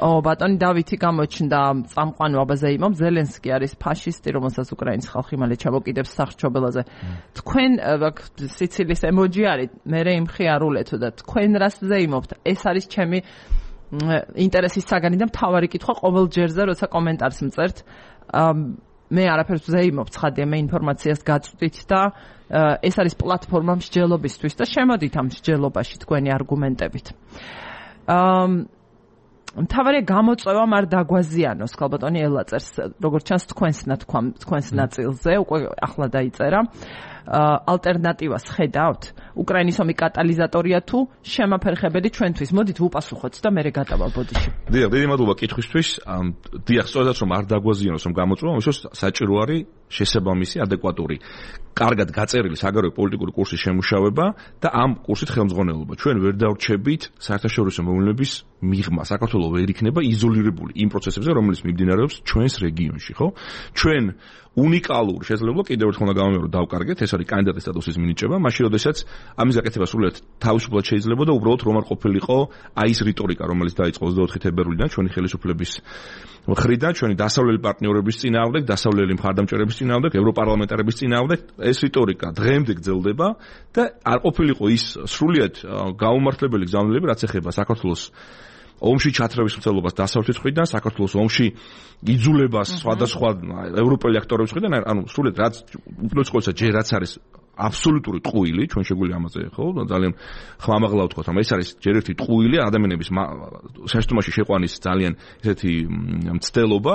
ბატონი დავითი გამოჩნდა წამყვანო აბაზეიმომ, ზელენსკი არის ფაშისტი, რომელსაც უკრაინის ხალხი მალე ჩამოკიდებს სახრჩობელაზე. თქვენ სიცილის ემოჯი არის, მე იმხიარულეთო და თქვენ რას ზეიმობთ? ეს არის ჩემი ინტერესის საგანი და მთავარი კითხვა ყოველ ჯერზე, როცა კომენტარს მწერთ, მე არაფერს ვზეიმობ, ცხადია, მე ინფორმაციას გაწვდით და ეს არის პლატფორმა მსჯელობისთვის და შემოდით ამ მსჯელობაში თქვენი არგუმენტებით. მთავარია გამოწვევა არ დაგვაზიანოს, ქალბატონი ელაწერს, როგორც ჩანს თქვენს ნაწილზე, უკვე ახლა დაიწერა. ალტერნატივას ხედავთ? უკრაინის ომი კატალიზატორია თუ შემაფერხებელი ჩვენთვის? მოდით ვუპასუხოთ და მე გადავალ ბოდიში. დიდი მადლობა კითხვისთვის. დიახ, სწორედაც რომ არ დაგვაზიანოს რომ გამოწვევა, ამისთვის საჭირო არის შესაბამისი ადეკვატური, კარგად გაწერილი საგარეო პოლიტიკური კურსის შემუშავება და ამ კურსით ხელმძღვანელობა. ჩვენ ვერ დავრჩებით საერთაშორისო მოვლენების მიღმა. საქართველო ვერ იქნება იზოლირებული იმ პროცესებზე, რომელიც მიმდინარეობს ჩვენს რეგიონში, ხო? ჩვენ უნიკალური შესაძლებლობა კიდევ ერთხელ გამომეორ დავკარგეთ, ეს არის კანდიდატის სტატუსის მინიჭება, მაშინ როდესაც ამის გაკეთება სრულიად თავისუფლად შეიძლება და უბრალოდ რომ არ ყოფილიყო აი ეს რიტორიკა, რომელიც დაიწყო 24 თებერვლიდან ჩვენი ხელისუფლების მხრიდან, ჩვენი დასავლელი პარტნიორების წინააღმდეგ, დასავლელი მხარდამჭერების წინააღმდეგ, ევროპარლამენტარების წინააღმდეგ, ეს რიტორიკა დღემდე გრძელდება და არ ყოფილიყო ის სრულიად გაუმართლებელი გზავნილები, რაც ეხება საქართველოს ომში ჩათრევის მცდელობას დასავლეთის მხრიდან, საქართველოს ომში იძულებას სხვადასხვა ევროპელი აქტორების მხრიდან, ანუ სრულიად რაც უპირველეს ყოვლისა ჯერ რაც არის აბსოლუტური ტყუილი, ჩვენ შეგვიძლია ამაზე ხო ძალიან ხმამაღლა ვთქვათ, რომ ეს არის ჯერ ერთი ტყუილი ადამიანების შეშტომაში შეყვანის ძალიან ესეთი მცდელობა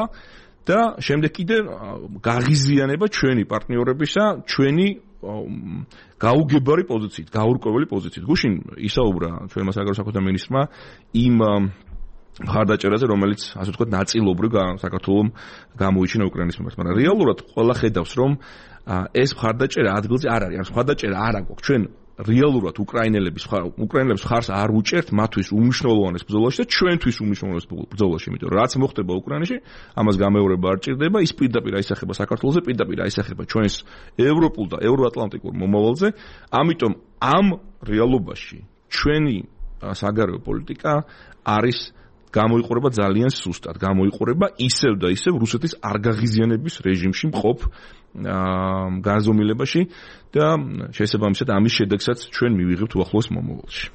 და შემდეგ კიდე გაღიზიანება ჩვენი პარტნიორებისა, ჩვენი გაუგებარი პოზიციით, გაურკვეველი პოზიციით. გუშინ ისაუბრა ჩვენმა საგარეო საქმეთა მინისტრმა იმ მხარდაჭერაზე, რომელიც ასე ვთქვათ, ნაწილობრივ საქართველოს გამოიჩინა უკრაინის მიმართ, მაგრამ რეალურად ყველა ხედავს, რომ ეს მხარდაჭერა ადგილზე არ არის. ამ მხარდაჭერა არ აქვს. ჩვენ რეალურად უკრაინელების ხარს არ უჭერთ მათთვის უმნიშვნელოვანეს ბრძოლაში და ჩვენთვის უმნიშვნელოვანეს ბრძოლაში, იმიტომ რომ რაც მოხდება უკრაინაში, ამას გამეორება არ ჭირდება, ის პირდაპირ აისახება საქართველოზე, პირდაპირ აისახება ჩვენს ევროპულ და ევროატლანტიკურ მომავალზე. ამიტომ ამ რეალობაში ჩვენი საგარეო პოლიტიკა არის გამოიყურება ძალიან სუსტად, გამოიყურება ისევ და ისევ რუსეთის არგაღიზიანების რეჟიმში მყოფ განზომილებაში და შესაბამისად ამის შედეგსაც ჩვენ მივიღებთ უახლოეს მომავალში.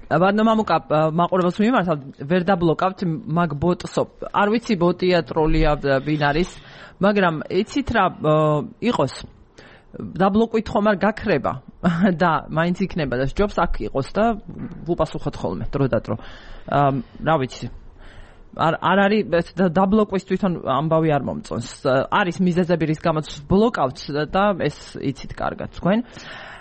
ბატონო მამუკა, მაყურებელს მიმართავ, ვერ დაბლოკავთ მაგ ბოტსო. არ ვიცი ბოტია, ტროლია, ვინ არის, მაგრამ იცით რა იყოს დაბლოკვით ხომ არ გაქრება და მაინც იქნება და ჯობს აქ იყოს და ვუპასუხოთ ხოლმე დრო და დრო. რა ვიცი. არ არის დაბლოკვის თვითონ ამბავი არ მომწონს. არის მიზეზები რის გამოც ბლოკავთ და ეს იცით კარგად თქვენ.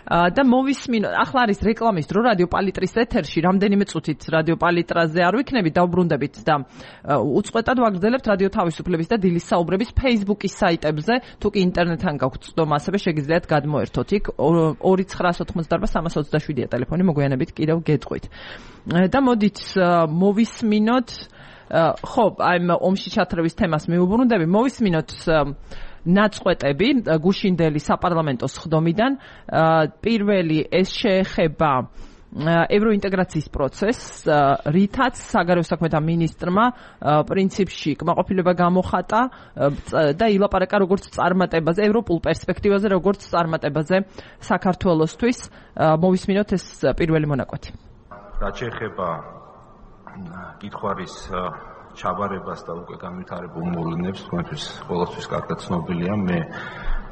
და მოვისმინოთ, ახლა არის რეკლამის დრო რადიო პალიტრის ეთერში, რამდენიმე წუთით რადიო პალიტრაზე არ ვიქნებით, დავბრუნდებით და უწყვეტად ვაგრძელებთ რადიო თავისუფლების და დილის საუბრების Facebook-ის საიტებზე, თუ კი ინტერნეტთან გაქვთ წვდომა, ასევე შეგიძლიათ გადმოერთოთ იქ 2988-327-ია ტელეფონი, მოგვიანებით კიდევ გეტყვით. და მოდით მოვისმინოთ, ხო, აი ომში ჩათრევის თემას მივუბრუნდები, მოვისმინოთ ნაწყვეტები გუშინდელი საპარლამენტო სხდომიდან. პირველი ეს შეეხება ევროინტეგრაციის პროცესს, რითაც საგარეო საქმეთა მინისტრმა პრინციპში კმაყოფილება გამოხატა და ილაპარაკა როგორც წარმატებაზე, ევროპულ პერსპექტივაზე, როგორც წარმატებაზე საქართველოსთვის. მოვისმინოთ ეს პირველი მონაკვეთი. რაც შეეხება კითხვარის ჩაბარებას და უკვე განვითარებულ მოვლენებს, თქვენთვის ყოველთვის კარგად ცნობილია. მე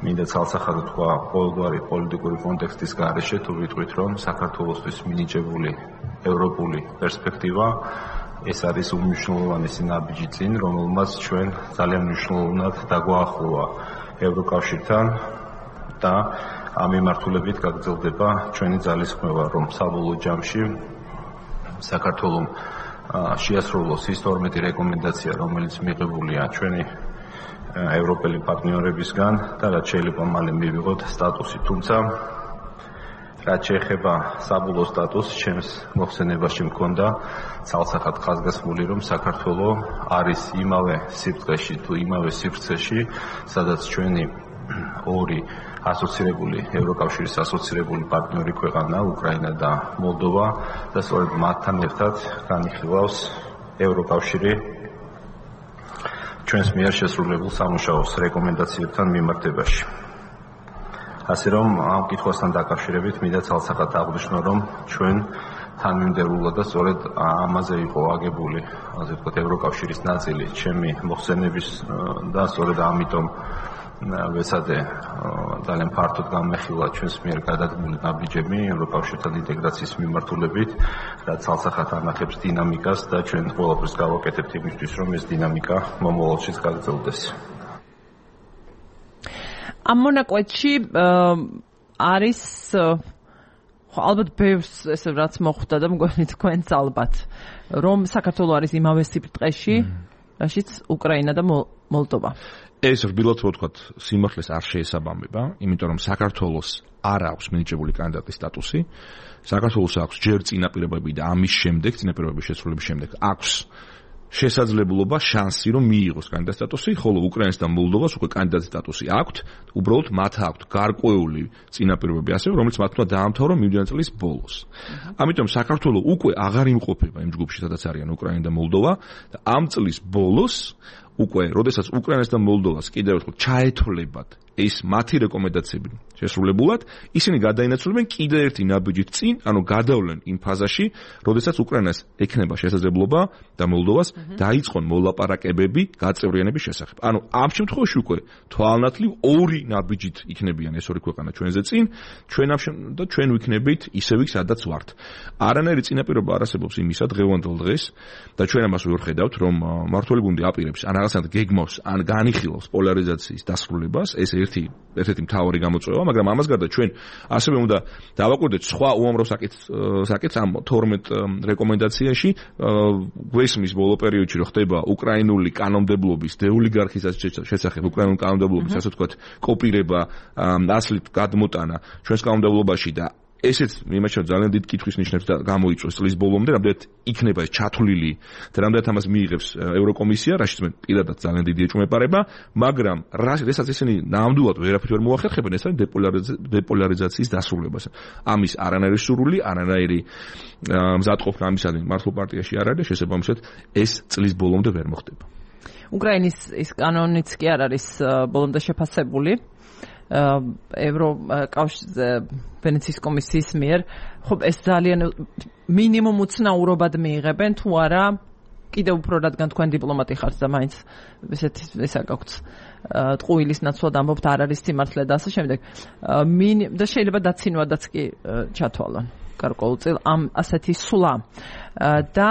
მინდა ცალსახად თქვა ყოველგვარი პოლიტიკური კონტექსტის გარეშე, თუ ვიტყვით, რომ საქართველოსთვის მინიჭებული ევროპული პერსპექტივა ეს არის უმნიშვნელოვანესი ნაბიჯი წინ, რომელმაც ჩვენ ძალიან მნიშვნელოვნად დაგვაახლოვა ევროკავშირთან და ამ მიმართულებით გაგრძელდება ჩვენი ძალისხმევა, რომ საბოლოო ჯამში საქართველოს შეასრულოს ის 12 რეკომენდაცია, რომელიც მიღებულია ჩვენი ევროპელი პარტნიორებისგან და რაც შეიძლება მალე მივიღოთ სტატუსი. თუმცა რაც შეეხება საბოლოო სტატუსს, ჩემს მოხსენებაში მქონდა ცალსახად ხაზგასმული, რომ საქართველოს არის იმავე სიბრტყეში თუ იმავე სივრცეში, სადაც ჩვენი ორი ასოცირებული ევროკავშირის ასოცირებული პარტნიორი ქვეყანა უკრაინა და მოლდოვა და სწორედ მათთან ერთად განიხილავს ევროკავშირი ჩვენს მიერ შესრულებულ სამუშაოს რეკომენდაციებთან მიმართებაში. ასე რომ ამ კითხვასთან დაკავშირებით მინდა ცალსახად აღვნიშნო, რომ ჩვენ თანმიმდევრულა და სწორედ ამაზე იყო აგებული, ასე ვთქვათ, ევროკავშირის ნაწილი ჩემი მოხსენების და სწორედ ამიტომ ვეცადე ძალიან ფართოდ განმეხილა ჩვენს მიერ გადადგმული ნაბიჯები ევროკავშირთან ინტეგრაციის მიმართულებით, რაც ცალსახად ანახებს დინამიკას და ჩვენ ყველაფერს გავაკეთებთ იმისთვის, რომ ეს დინამიკა მომავალშიც გაგრძელდეს. ამ მონაკვეთში არის ალბათ ბევრს ესე რაც მოხვდა და მგონი თქვენც ალბათ რომ საქართველო არის იმავე სიბრტყეში, რაშიც უკრაინა და მოლდოვა. ეს რბილად ვთქვათ, სიმართლეს არ შეესაბამება, იმიტომ რომ საქართველოს არ აქვს მინიჭებული კანდიდატის სტატუსი. საქართველოს აქვს ჯერ წინაპირობები და ამის შემდეგ, წინაპირობების შესრულების შემდეგ აქვს შესაძლებლობა, შანსი, რომ მიიღოს კანდიდატის სტატუსი, ხოლო უკრაინას და მოლდოვას უკვე კანდიდატის სტატუსი აქვთ, უბრალოდ მათ აქვთ გარკვეული წინაპირობები ასევე, რომელიც მათ უნდა დაამთავრონ მიმდინარე წლის ბოლოს. ამიტომ საქართველო უკვე აღარ იმყოფება იმ ჯგუფში, სადაც არიან უკრაინა და მოლდოვა და ამ წლის ბოლოს უკვე, როდესაც უკრაინას და მოლდოვას კიდევ ერთხელ ჩაეთვლებათ ეს მათი რეკომენდაციები შესრულებულად, ისინი გადაინაცვლებენ კიდევ ერთი ნაბიჯით წინ, ანუ გადავლენ იმ ფაზაში, როდესაც უკრაინას ექნება შესაძლებლობა და მოლდოვას დაიწყონ მოლაპარაკებები გაწევრიანების შესახებ. ანუ ამ შემთხვევაში უკვე თვალნათლივ ორი ნაბიჯით იქნებიან ეს ორი ქვეყანა ჩვენზე წინ, და ჩვენ ვიქნებით ისევ იქ, სადაც ვართ. არანაირი წინაპირობა არ არსებობს იმისა დღევანდელ დღეს და ჩვენ ამას ვხედავთ, რომ მმართველი გუნდი აპირებს ან რაღაცნაირად გეგმავს, ან განიხილავს პოლარიზაციის დასრულებას, ეს ერთ-ერთი მთავარი გამოწვევა, მაგრამ ამას გარდა ჩვენ ასევე უნდა დავაკვირდეთ სხვა უამრავ საკითხს ამ 12 რეკომენდაციაში, გვესმის ბოლო პერიოდში რომ ხდება უკრაინული კანონმდებლობის დეოლიგარქიზაციის შესახებ, უკრაინული კანონმდებლობის, ასე ვთქვათ, კოპირება, ასლით გადმოტანა ჩვენს კანონმდებლობაში და ესეც მიმაჩნევ ძალიან დიდ კითხვის ნიშნებს და გამოიწვევს წლის ბოლომდე, რამდენად იქნება ეს ჩათვლილი და რამდენად ამას მიიღებს ევროკომისია, რაშიც მე პირადად ძალიან დიდი ეჭვმეპარება, მაგრამ რასაც ისინი ნამდვილად ვერაფერ ვერ მოახერხებენ, ეს არის დეპოლარიზაციის დასრულებას. ამის არანაირი სურვილი, არანაირი მზადყოფნა ამისადმი მართლ პარტიაში არ არის და შესაბამისად ეს წლის ბოლომდე ვერ მოხდება. უკრაინის ის კანონიც კი არ არის ბოლომდე შეფასებული. ვენეციის კომისიის მიერ, ხო ეს ძალიან მინიმუმ უცნაურობად მიიღებენ თუ არა, კიდევ უფრო რადგან თქვენ დიპლომატი ხართ და მაინც ესეთი ესა გაქვთ ტყუილის ნაცვლად ამბობთ არ არის სიმართლე და ასე შემდეგ. და შეიძლება დაცინვადაც კი ჩათვალონ გარკვეულწილ ამ ასეთი სვლა და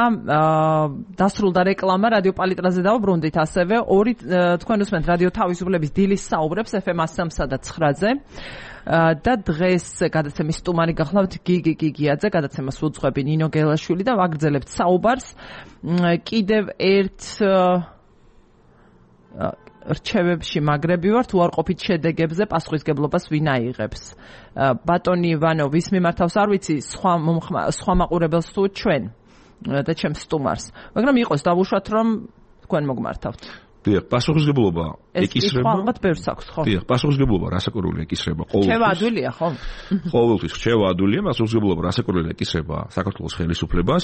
დასრულდა რეკლამა რადიო პალიტრაზე დავუბრუნდით ასევე ორი თქვენ უსმენთ რადიო თავისუფლების დილის საუბრებს FM 103-სა და 9-ზე და დღეს გადაცემის სტუმარი გახლავთ გიგი გიგიაძე, გადაცემას უძღვები ნინო გელაშვილი და ვაგრძელებთ საუბარს კიდევ ერთ რჩევებში მაგრები ვართ უარყოფით შედეგებზე პასუხისგებლობას ვინ აიღებს. ბატონი ივანოვის მიმართავს არ ვიცი სხვა მაყურებელს თუ ჩვენ და ჩემს სტუმარს, მაგრამ იყოს დავუშვათ რომ თქვენ მოგმართავთ. დიახ, პასუხისგებლობა ეკისრება. ალბათ ბევრს აქვს, ხო? დიახ, პასუხისგებლობა რასაკვირველია ეკისრება ყოველთვის. რჩევა ადვილია, ხო? ყოველთვის რჩევა ადვილია, პასუხისგებლობა რასაკვირველია ეკისრება საქართველოს ხელისუფლებას,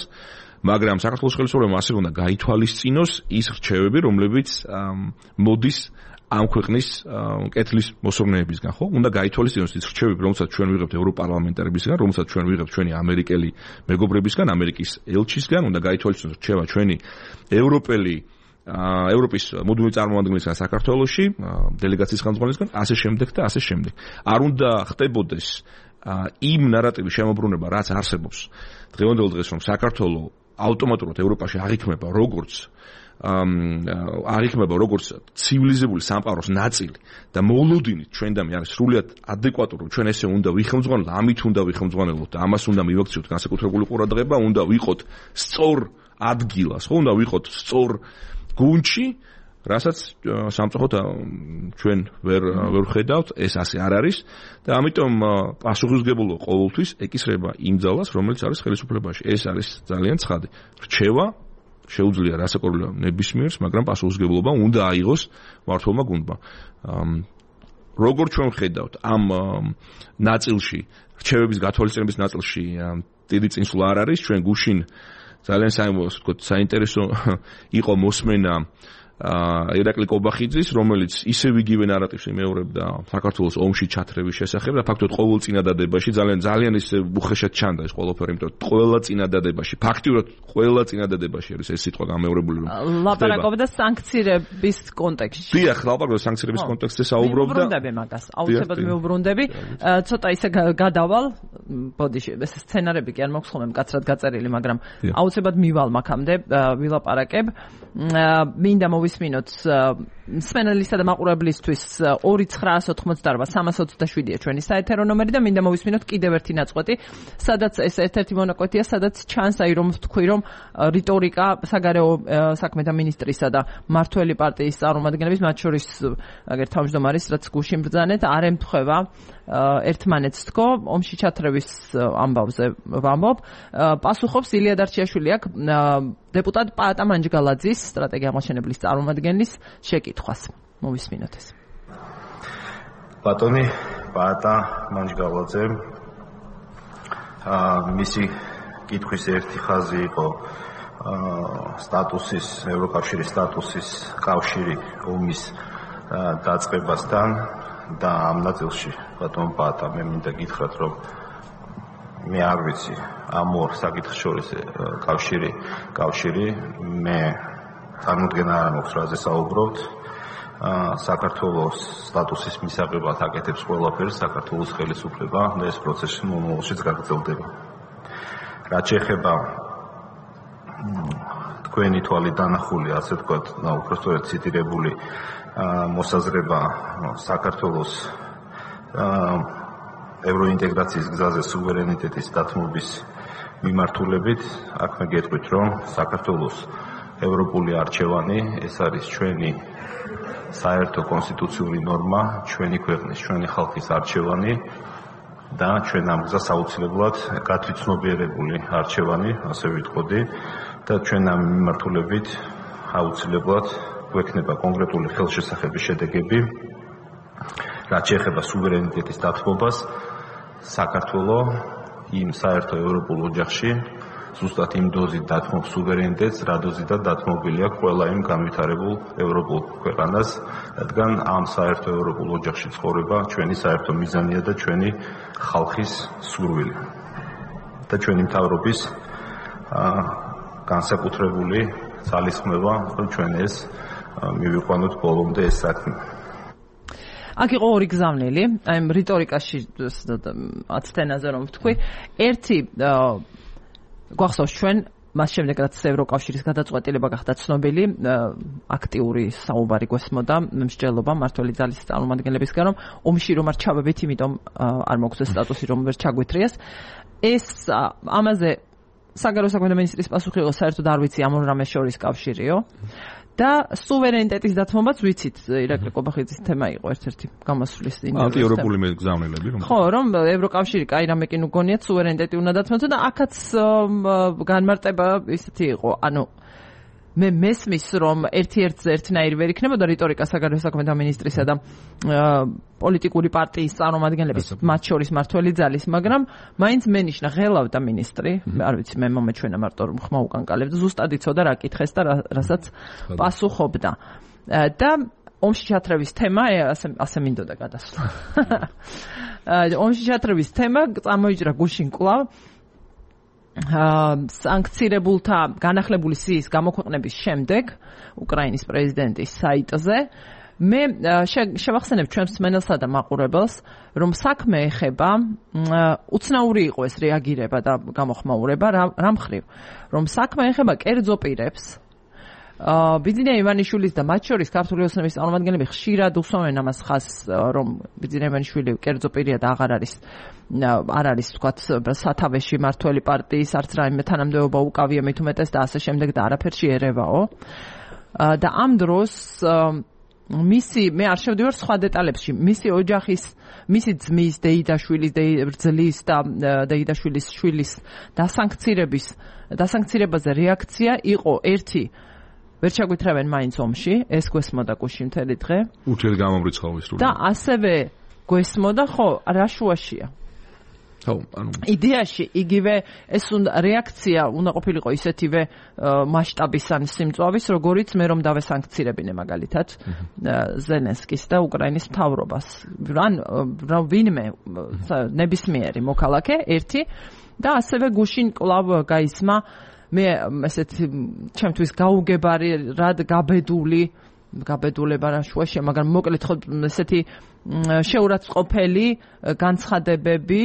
მაგრამ საქართველოს ხელისუფლებამ ასევე უნდა გაითვალისწინოს ის რჩევები, რომლებიც მოდის ამ ქვეყნის კეთლის მოსურნეებისგან, ხო? უნდა გაითვალისწინოს ის რჩევები, რომელსაც ჩვენ ვიღებთ ევროპარლამენტარებისგან, რომელსაც ჩვენ ვიღებთ ჩვენი ამერიკელი მეგობრებისგან, ამერიკის ელჩისგან, უნდა გაითვალისწინოს რჩევა ჩვენი ევროპის მუდმივი წარმომადგენლისგან საქართველოში, დელეგაციის ხელმძღვანელისგან, ასე შემდეგ და ასე შემდეგ. არ უნდა ხდებოდეს იმ ნარატივის შემოbrunება, რაც არსებობს დღევანდელ დღეს, რომ საქართველო ავტომატურად ევროპაში აღიქმება როგორც ცივილიზებული სამყაროს ნაწილი და მოლოდინით ჩვენდამი არის სრულიად ადეკვატური, ჩვენ ესე უნდა ვიხელმძღვანელოთ, ამით უნდა ვიხელმძღვანელოთ და ამას უნდა მივაქციოთ განსაკუთრებული ყურადღება, უნდა ვიყოთ სწორ ადგილას, ხო, უნდა ვიყოთ სწორ გუნდში, რასაც სამწუხაროდ ჩვენ ვერ ხედავთ, ეს ასე არ არის და ამიტომ პასუხისგებლობა ყოველთვის ეკისრება იმ ძალას, რომელიც არის ხელისუფლებაში. ეს არის ძალიან ცხადი. რჩევა შეუძლია რასაკვირველია ნებისმიერს, მაგრამ პასუხისგებლობა უნდა აიღოს მმართველმა გუნდმა. როგორ ჩვენ ხედავთ ამ ნაწილში, რჩევების გათვალისწინების ნაწილში დიდი წინსვლა არ არის, ჩვენ გუშინ ძალიან საინტერესო იყო მოსმენა ირაკლი კობახიძის, რომელიც ისევ იგივე ნარატივს იმეორებდა საქართველოს ომში ჩათრევის შესახებ და ფაქტობრივად ყოველ წინადადებაში ძალიან ისე უხეშად ჩანდა ეს ყველაფერი, იმიტომ რომ ყველა წინადადებაში, ფაქტიურად ყველა წინადადებაში არის ეს სიტყვა გამეორებული, რომ ლაპარაკობდა სანქციების კონტექსტში. დიახ, ლაპარაკობდა სანქციების კონტექსტზე საუბრობდა. მეუბრუნდები მაგას, აუცილებლად მეუბრუნდები. ცოტა ისე გადავალ, ბოდიში, ეს სცენარები კი არ მაქვს ხოლმე მკაცრად გაწერილი, მაგრამ აუცილებლად მივალ მაქამდე, ვილაპარაკებ. მინდა მოვისმინოთ მსმენელისა და მაყურებლისთვის 2988-327-ია ჩვენი საეთერო ნომერი და მინდა მოვისმინოთ კიდევ ერთი ნაწყვეტი, სადაც ეს ერთ-ერთი მონაკვეთია, სადაც ჩანს აი რომ თქვი რომ რიტორიკა საგარეო საქმეთა მინისტრისა და მართველი პარტიის წარმომადგენლების, მათ შორის აგერ თავმჯდომარის, რაც გუშინ ბრძანეთ, არ ემთხვევა ერთმანეთს თქო, ომში ჩათრევის ამბავზე ვამბობ. პასუხობს ილია დარჩიაშვილი აქ დეპუტატ პაატა მანჯგალაძის სტრატეგია აღმაშენებლის წარმომადგენლის შეკითხვას. მოვისმინოთ ეს. ბატონი პაატა მანჯგალაძე, მისი კითხვის ერთი ხაზი იყო სტატუსის, ევროკავშირის სტატუსის კავშირი ომის დაწყებასთან და ამ ნაწილში ბატონ პაატა მე მინდა გითხრათ, რომ მე არ ვიცი ამ ორ საკითხს შორის კავშირი მე წარმოდგენა არ მაქვს რაზე საუბრობთ. საქართველოს სტატუსის მისაღებად აკეთებს ყველაფერს საქართველოს ხელისუფლება და ეს პროცესი მომავალშიც გაგრძელდება. რაც შეეხება თქვენი თვალით დანახული, ასე ვთქვათ, უпростоრად ციტირებული მოსაზრება საქართველოს ევროინტეგრაციის გზაზე სუვერენიტეტის დათმობის მიმართულებით, აქ მე გეტყვით, რომ საქართველოს ევროპული არჩევანი ეს არის ჩვენი საერთო კონსტიტუციური ნორმა, ჩვენი ქვეყნის, ჩვენი ხალხის არჩევანი და ჩვენ ამ გზას აუცილებლად გათვითცნობიერებული არჩევანი, ასე ვიტყოდი და ჩვენ ამ მიმართულებით აუცილებლად გვექნება კონკრეტული ხელშესახების შედეგები, რაც შეეხება სუვერენიტეტის დათმობას. საქართველოს იმ საერთო ევროპულ ოჯახში ზუსტად იმ დოზით დათმობს სუვერენიტეტს, რა დოზითაც დათმობილი აქვს ყველა იმ განვითარებულ ევროპულ ქვეყანას, რადგან ამ საერთო ევროპულ ოჯახში ცხოვრება ჩვენი საერთო მიზანია და ჩვენი ხალხის სურვილი და ჩვენი მთავრობის განსაკუთრებული ძალისხმევა, რომ ჩვენ ეს მივიყვანოთ ბოლომდე ეს საქმე. აქ იყო ორი გზავნილი, აი რიტორიკაში 10 თენაზე რომ ვთქვი, ერთი გვახსოვს ჩვენ მას შემდეგ რაც ევროკავშირის გადაწყვეტილება გახდა ცნობილი, აქტიური საუბარი გვესმოდა მსჯელობა მართველი ძალის წარმომადგენლებისგან, რომ ომში რომ არ ჩავებით, იმიტომ არ მოგვს სტატუსი რომ ვერ ჩაგვეთრიეს. ეს ამაზე საგარეო საქმეთა მინისტრის პასუხი იყო, საერთოდ არ ვიცი ამ ორ რამეს შორის კავშირიო. და სუვერენიტეტის დათმობაც ვიცით, ირაკლი კობახიძის თემა იყო ერთ-ერთი გამოსვლის ინტერვიუსთან. ანტიევროპული მეგზავნილები რომ. ხო, რომ ევროკავშირი კაი რამე კი ნუ გონიათ სუვერენიტეტი უნდა დათმოთ და აქაც განმარტება ისეთი იყო. ანუ მე მესმის რომ ერთ-ერთზე ერთნაირი ვერ იქნებოდა რიტორიკა საგარეო საქმეთა მინისტრისა და პოლიტიკური პარტიის წარმომადგენლების, მათ შორის მართველი ძალის, მაგრამ მაინც მენიშნა ღელავდა მინისტრი, არ ვიცი მე მომეჩვენა მარტო რომ ხმა უკანკალებდა, ზუსტად იცოდა რა კითხეს და რასაც პასუხობდა. და ომში ჩათრევის თემა ასე მინდოდა გადასვლა. ომში ჩათრევის თემა წამოიჭრა გუშინ კვლავ სანქცირებულთა განახლებული სიის გამოქვეყნების შემდეგ უკრაინის პრეზიდენტის საიტზე მე შევახსენებ ჩვენს მსმენელსა და მაყურებელს, რომ საქმე ეხება უცნაური იყო ეს რეაგირება და გამოხმაურება რა მხრივ, რომ საქმე ეხება კერძო პირებს. ბიძინა ივანიშვილის და მათ შორის ქართული ოცნების წარმომადგენლები ხშირად უსვამენ ამას ხაზს, რომ ბიძინა ივანიშვილი კერძო პირია და არ არის თქვათ სათავეში მართველი პარტიის არც რაიმე თანამდებობა უკავია მით უმეტეს და ასე შემდეგ და არაფერში ერევაო. და ამ დროს მე არ შევდივარ სხვა დეტალებში, მისი ოჯახის, მისი ძმის, დეიდაშვილის, ბრძლის და დეიდაშვილის შვილის დასანქცირებაზე რეაქცია იყო ერთი ვერ ჩაგვითრევენ მაინც ომში, ეს გვესმოდა გუშინ მთელი დღე. უთელი გამომრიცხავი სრული. და ასევე გვესმოდა, ხო, რა შუაშია. ხო, ანუ იდეაში იგივე ეს რეაქცია უნდა ყოფილიყო ისეთივე მასშტაბის ან სიმწვავის, როგორიც მე რომ დავესანქცირებინე მაგალითად ზელენსკის და უკრაინის მთავრობას. ან ვინმე ნებისმიერი მოქალაქე ერთი და ასევე გუშინ კლავ გაისმა მე ესეთი ჩემთვის გაუგებარი რად გაბედულება რა შუაშია, მაგრამ მოკლედ ხო ესეთი შეურაცხყოფელი განცხადებები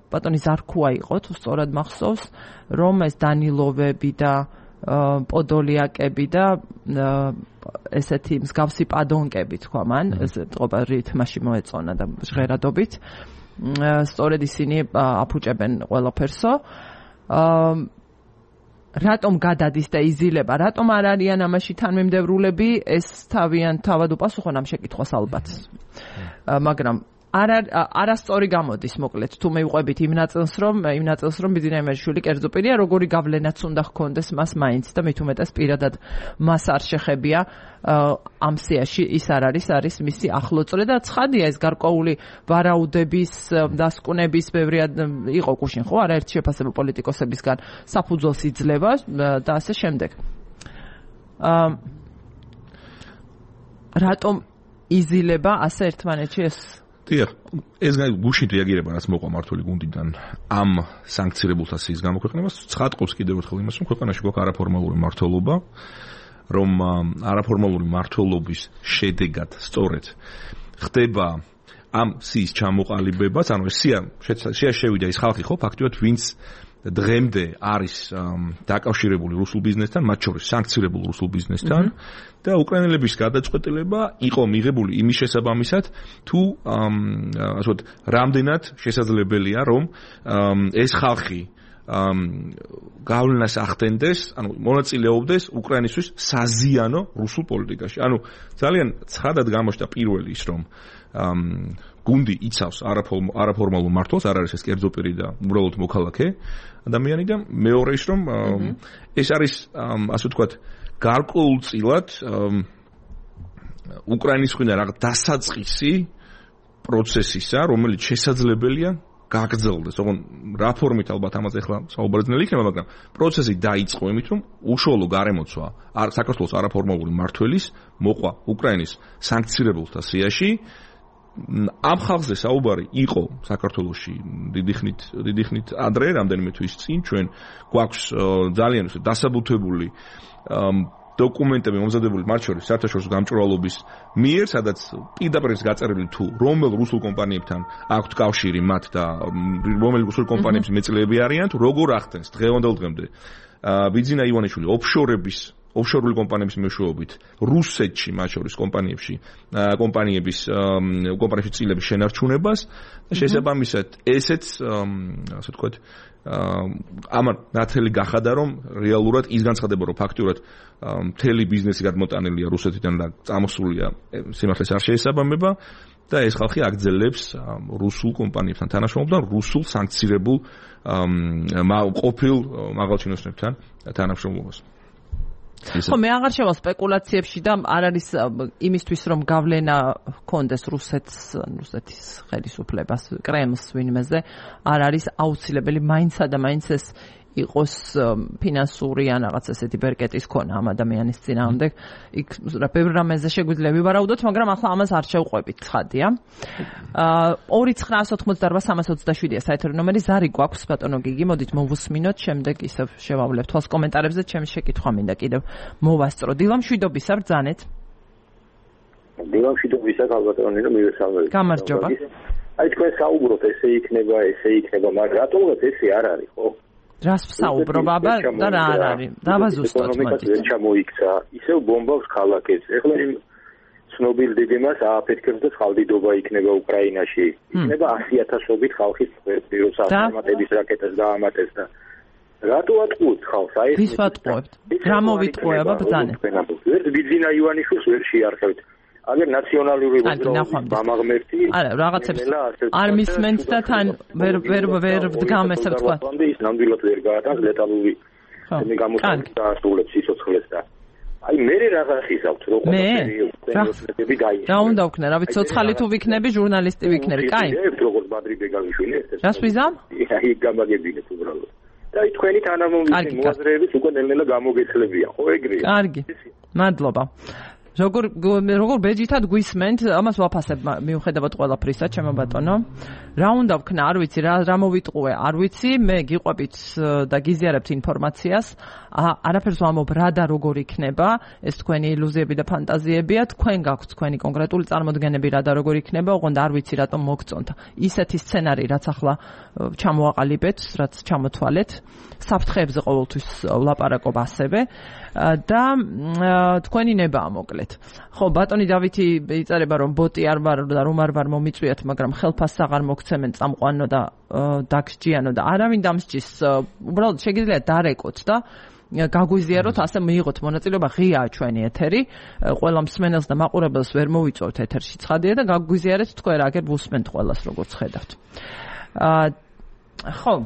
ბატონი ზარქუა იყო თუ სწორად მახსოვს, რომ ეს დანილოვები და პოდოლიაკები და ესეთი მსგავსი პადონკები თქვა მან, ეს ტყობა რითმაში მოეწონა და ჟღერადობით. სწორედ ისინი აფუჭებენ ყველაფერსო. რატომ გადადის და იზილება, რატომ არ არიან ამაში თანმიმდევრულები, ეს თავად უპასუხონ ამ შეკითხვას ალბათ. მაგრამ არასწორი გამოდის, მოკლედ, თუ მივყვებით იმ ნაწილს, რომ ბიძინა იმერშვილი კერძო პირია, როგორი გავლენაც უნდა ჰქონდეს მას მაინც და მით უმეტეს პირადად მას არ შეხებია ამ სიაში ის არის მისი ახლოწრე და ცხადია ეს გარკვეული ვარაუდების, დასკვნების ბევრია იყო გუშინ, ხო, არაერთი შეფასება პოლიტიკოსებისგან საფუძველს იძლევა და ასე შემდეგ. რატომ იზილება ასე ერთმანეთში ეს დიახ, ეს გუშინ რეაგირება რაც მოყვა მართული გუნდიდან ამ სანქცირებულთა სიის გამოქვეყნებას ცხადყოფს კიდევ ერთხელ იმას, რომ ქვეყანაში გვაქვს არაფორმალური მმართველობა, რომ არაფორმალური მმართველობის შედეგად სწორედ ხდება ამ სიის ჩამოყალიბებას, ანუ ეს სია შევიდა ის ხალხი ხო ფაქტობრივად ვინც დღემდე არის დაკავშირებული რუსულ ბიზნესთან, მათ შორის სანქცირებულ რუსულ ბიზნესთან და უკრაინელების გადაწყვეტილება იყო მიღებული იმის შესაბამისად, თუ ასე ვთქვათ, რამდენად შესაძლებელია, რომ ეს ხალხი გავლენას ახდენდეს, ანუ მონაწილეობდეს უკრაინისთვის საზიანო რუსულ პოლიტიკაში. ანუ ძალიან ცხადად გამოჩნდა პირველი ის, რომ გუნდი იცავს არაფორმალურ მმართველს, არ არის ეს კერძო პირი და უბრალოდ მოქალაქე ადამიანი და მეორე ის, რომ ეს არის ასე ვთქვათ, გარკვეულწილად უკრაინის მხრიდან რაღაც დასაწყისი პროცესისა, რომელიც შესაძლებელია გაგრძელდეს. ოღონდ რა ფორმით ალბათ ამაზე ახლა საუბარი ძნელი იქნება, მაგრამ პროცესი დაიწყო იმით, რომ უშუალო გარემოცვა საქართველოს არაფორმალური მმართველის მოყვა უკრაინის სანქცირებულთა სიაში. ამ ხალხზე საუბარი იყო საქართველოში დიდი ხნით ადრე, რამდენიმე თვის წინ ჩვენ გვაქვს ძალიან დასაბუთებული დოკუმენტები მომზადებული მათ შორის საერთაშორისო გამჭვირვალობის მიერ, სადაც პირდაპირ გაწერილი თუ რომელ რუსულ კომპანიებთან აქვთ კავშირი მათ და რომელი რუსული კომპანიების მეწლეები არიან, თუ როგორ ახდენს დღევანდელ დღემდე ბიძინა ივანიშვილი ოფშორული კომპანიების მეშვეობით რუსეთში მათ შორის კომპანიების წილების შენარჩუნებას და შესაბამისად ესეც ასე ვთქვათ ამან ნათელი გახადა, რომ რეალურად ის განცხადება, რომ ფაქტურად მთელი ბიზნესი გადმოტანილია რუსეთიდან და წამოსულია სიმართლეს არ შეესაბამება და ეს ხალხი აგრძელებს რუსულ კომპანიებთან თანამშრომლობასთან, რუსულ სანქცირებულ ყოფილ მაღალჩინოსნებთან თანამშრომლობას. ხო, მე აღარ შევალ სპეკულაციებში და არ არის იმისთვის, რომ გავლენა ჰქონდეს რუსეთის ხელისუფლებას, კრემლს ვინმეზე, არ არის აუცილებელი მაინცსა და მაინც ეს იყოს ფინანსური ან რაღაც ესეთი ბერკეტის ქონა ამ ადამიანის წინააღმდეგ. იქ ბევრ რამეზე შეგვიძლია ვივარაუდოთ, მაგრამ ახლა ამას არ შევყვებით, ცხადია. 29988 საერთო ნომერი ზარი გვაქვს, ბატონო გიგი, მოდით მოვუსმინოთ, შემდეგ ისევ შევავლებთ თვალს კომენტარებზე, ჩემი შეკითხვა მინდა კიდევ მოვასწრო. დილამშვიდობისა, ბრძანეთ. დილამშვიდობისა, ალბათონი რომ მივესალმებით. გამარჯობა. აი თქვენ საუბრობთ, ესე იქნება, მაგრამ რატომღაც ესე არ არის, ხო? რას საუბრობ აბა და რა არ არის? დავაზუსტოთ მოდი. ეკონომიკა ჩამოიქცა, ისევ ბომბავს ქალაქებს. ეხლა იმ ცნობილ დეგემას ააფეთქებს და ხალდიდობა იქნება უკრაინაში. იქნება 100,000-ობით ხალხის პიროს ავტომატების რაკეტას გაამატეს და რატო ატყუებთ ხალხს? აი ვის ვატყუებთ? რა მოვიტყუე აბა ბრძანეთ. ერთ ბიძინა ივანიშვილს ვერ შეარხევთ. აგერ ნაციონალური გამაღმერთი არა რაღაცებს არ მისმენთ და თან ვერ ვდგამ ესე ვთქვა. ის ნამდვილად ვერ გაატანს დეტალური გამოსვლას და ასრულებს სიცოცხლეს და აი მე რაღაცის აქვს რო ყველაფერი გაიჩინოს. რა უნდა ვქნა, რა ვიცი, ცოცხალი თუ ვიქნები, ჟურნალისტი ვიქნები, კაი. როგორც ბადრი ბეგალიშვილი ეს. რას ვიზამ? აი გამაგებინეთ უბრალოდ. და აი თქვენი თანამომწვევი მოაზრეების უკვე ნელ-ნელა გამოგეცლებიან, ხო ეგრეა. კარგი. მადლობა. როგორ ბეჯითად გვისმენთ, ამას ვაფასებ მიუხედავად ყველაფრისა, ჩემო ბატონო. რა უნდა ვქნა, არ ვიცი, რა მოვიტყუე, არ ვიცი, მე გიყვებით და გიზიარებთ ინფორმაციას, არაფერს ვამბობ რა და როგორ იქნება, ეს თქვენი ილუზიები და ფანტაზიებია, თქვენ გაქვთ თქვენი კონკრეტული წარმოდგენები რა და როგორ იქნება, ოღონდ არ ვიცი რატომ მოგწონთ. ისეთი სცენარი, რაც ახლა ჩამოაყალიბეთ, რაც ჩამოთვალეთ, საფრთხეებზე ყოველთვის ვლაპარაკობ ასევე და თქვენი ნებაა მოკლედ. ხო, ბატონი დავითი იწერება რომ ბოტი არ ვარ და რომ არ ვარ მომიწვიათ, მაგრამ ხელფასს აღარ მოგცემენ წამყვანო და დაგსჯიანო და არავინ დამსჯის. უბრალოდ შეგიძლიათ დარეკოთ და გაგვიზიაროთ, ასე მიიღოთ მონაწილეობა, ღიაა ჩვენი ეთერი. ყველა მსმენელს და მაყურებელს ვერ მოვიწოვთ ეთერში ცხადია და გაგვიზიარეთ თქვენ რა, აგერ ვუსმენთ ყველას როგორც ხედავთ. ხო.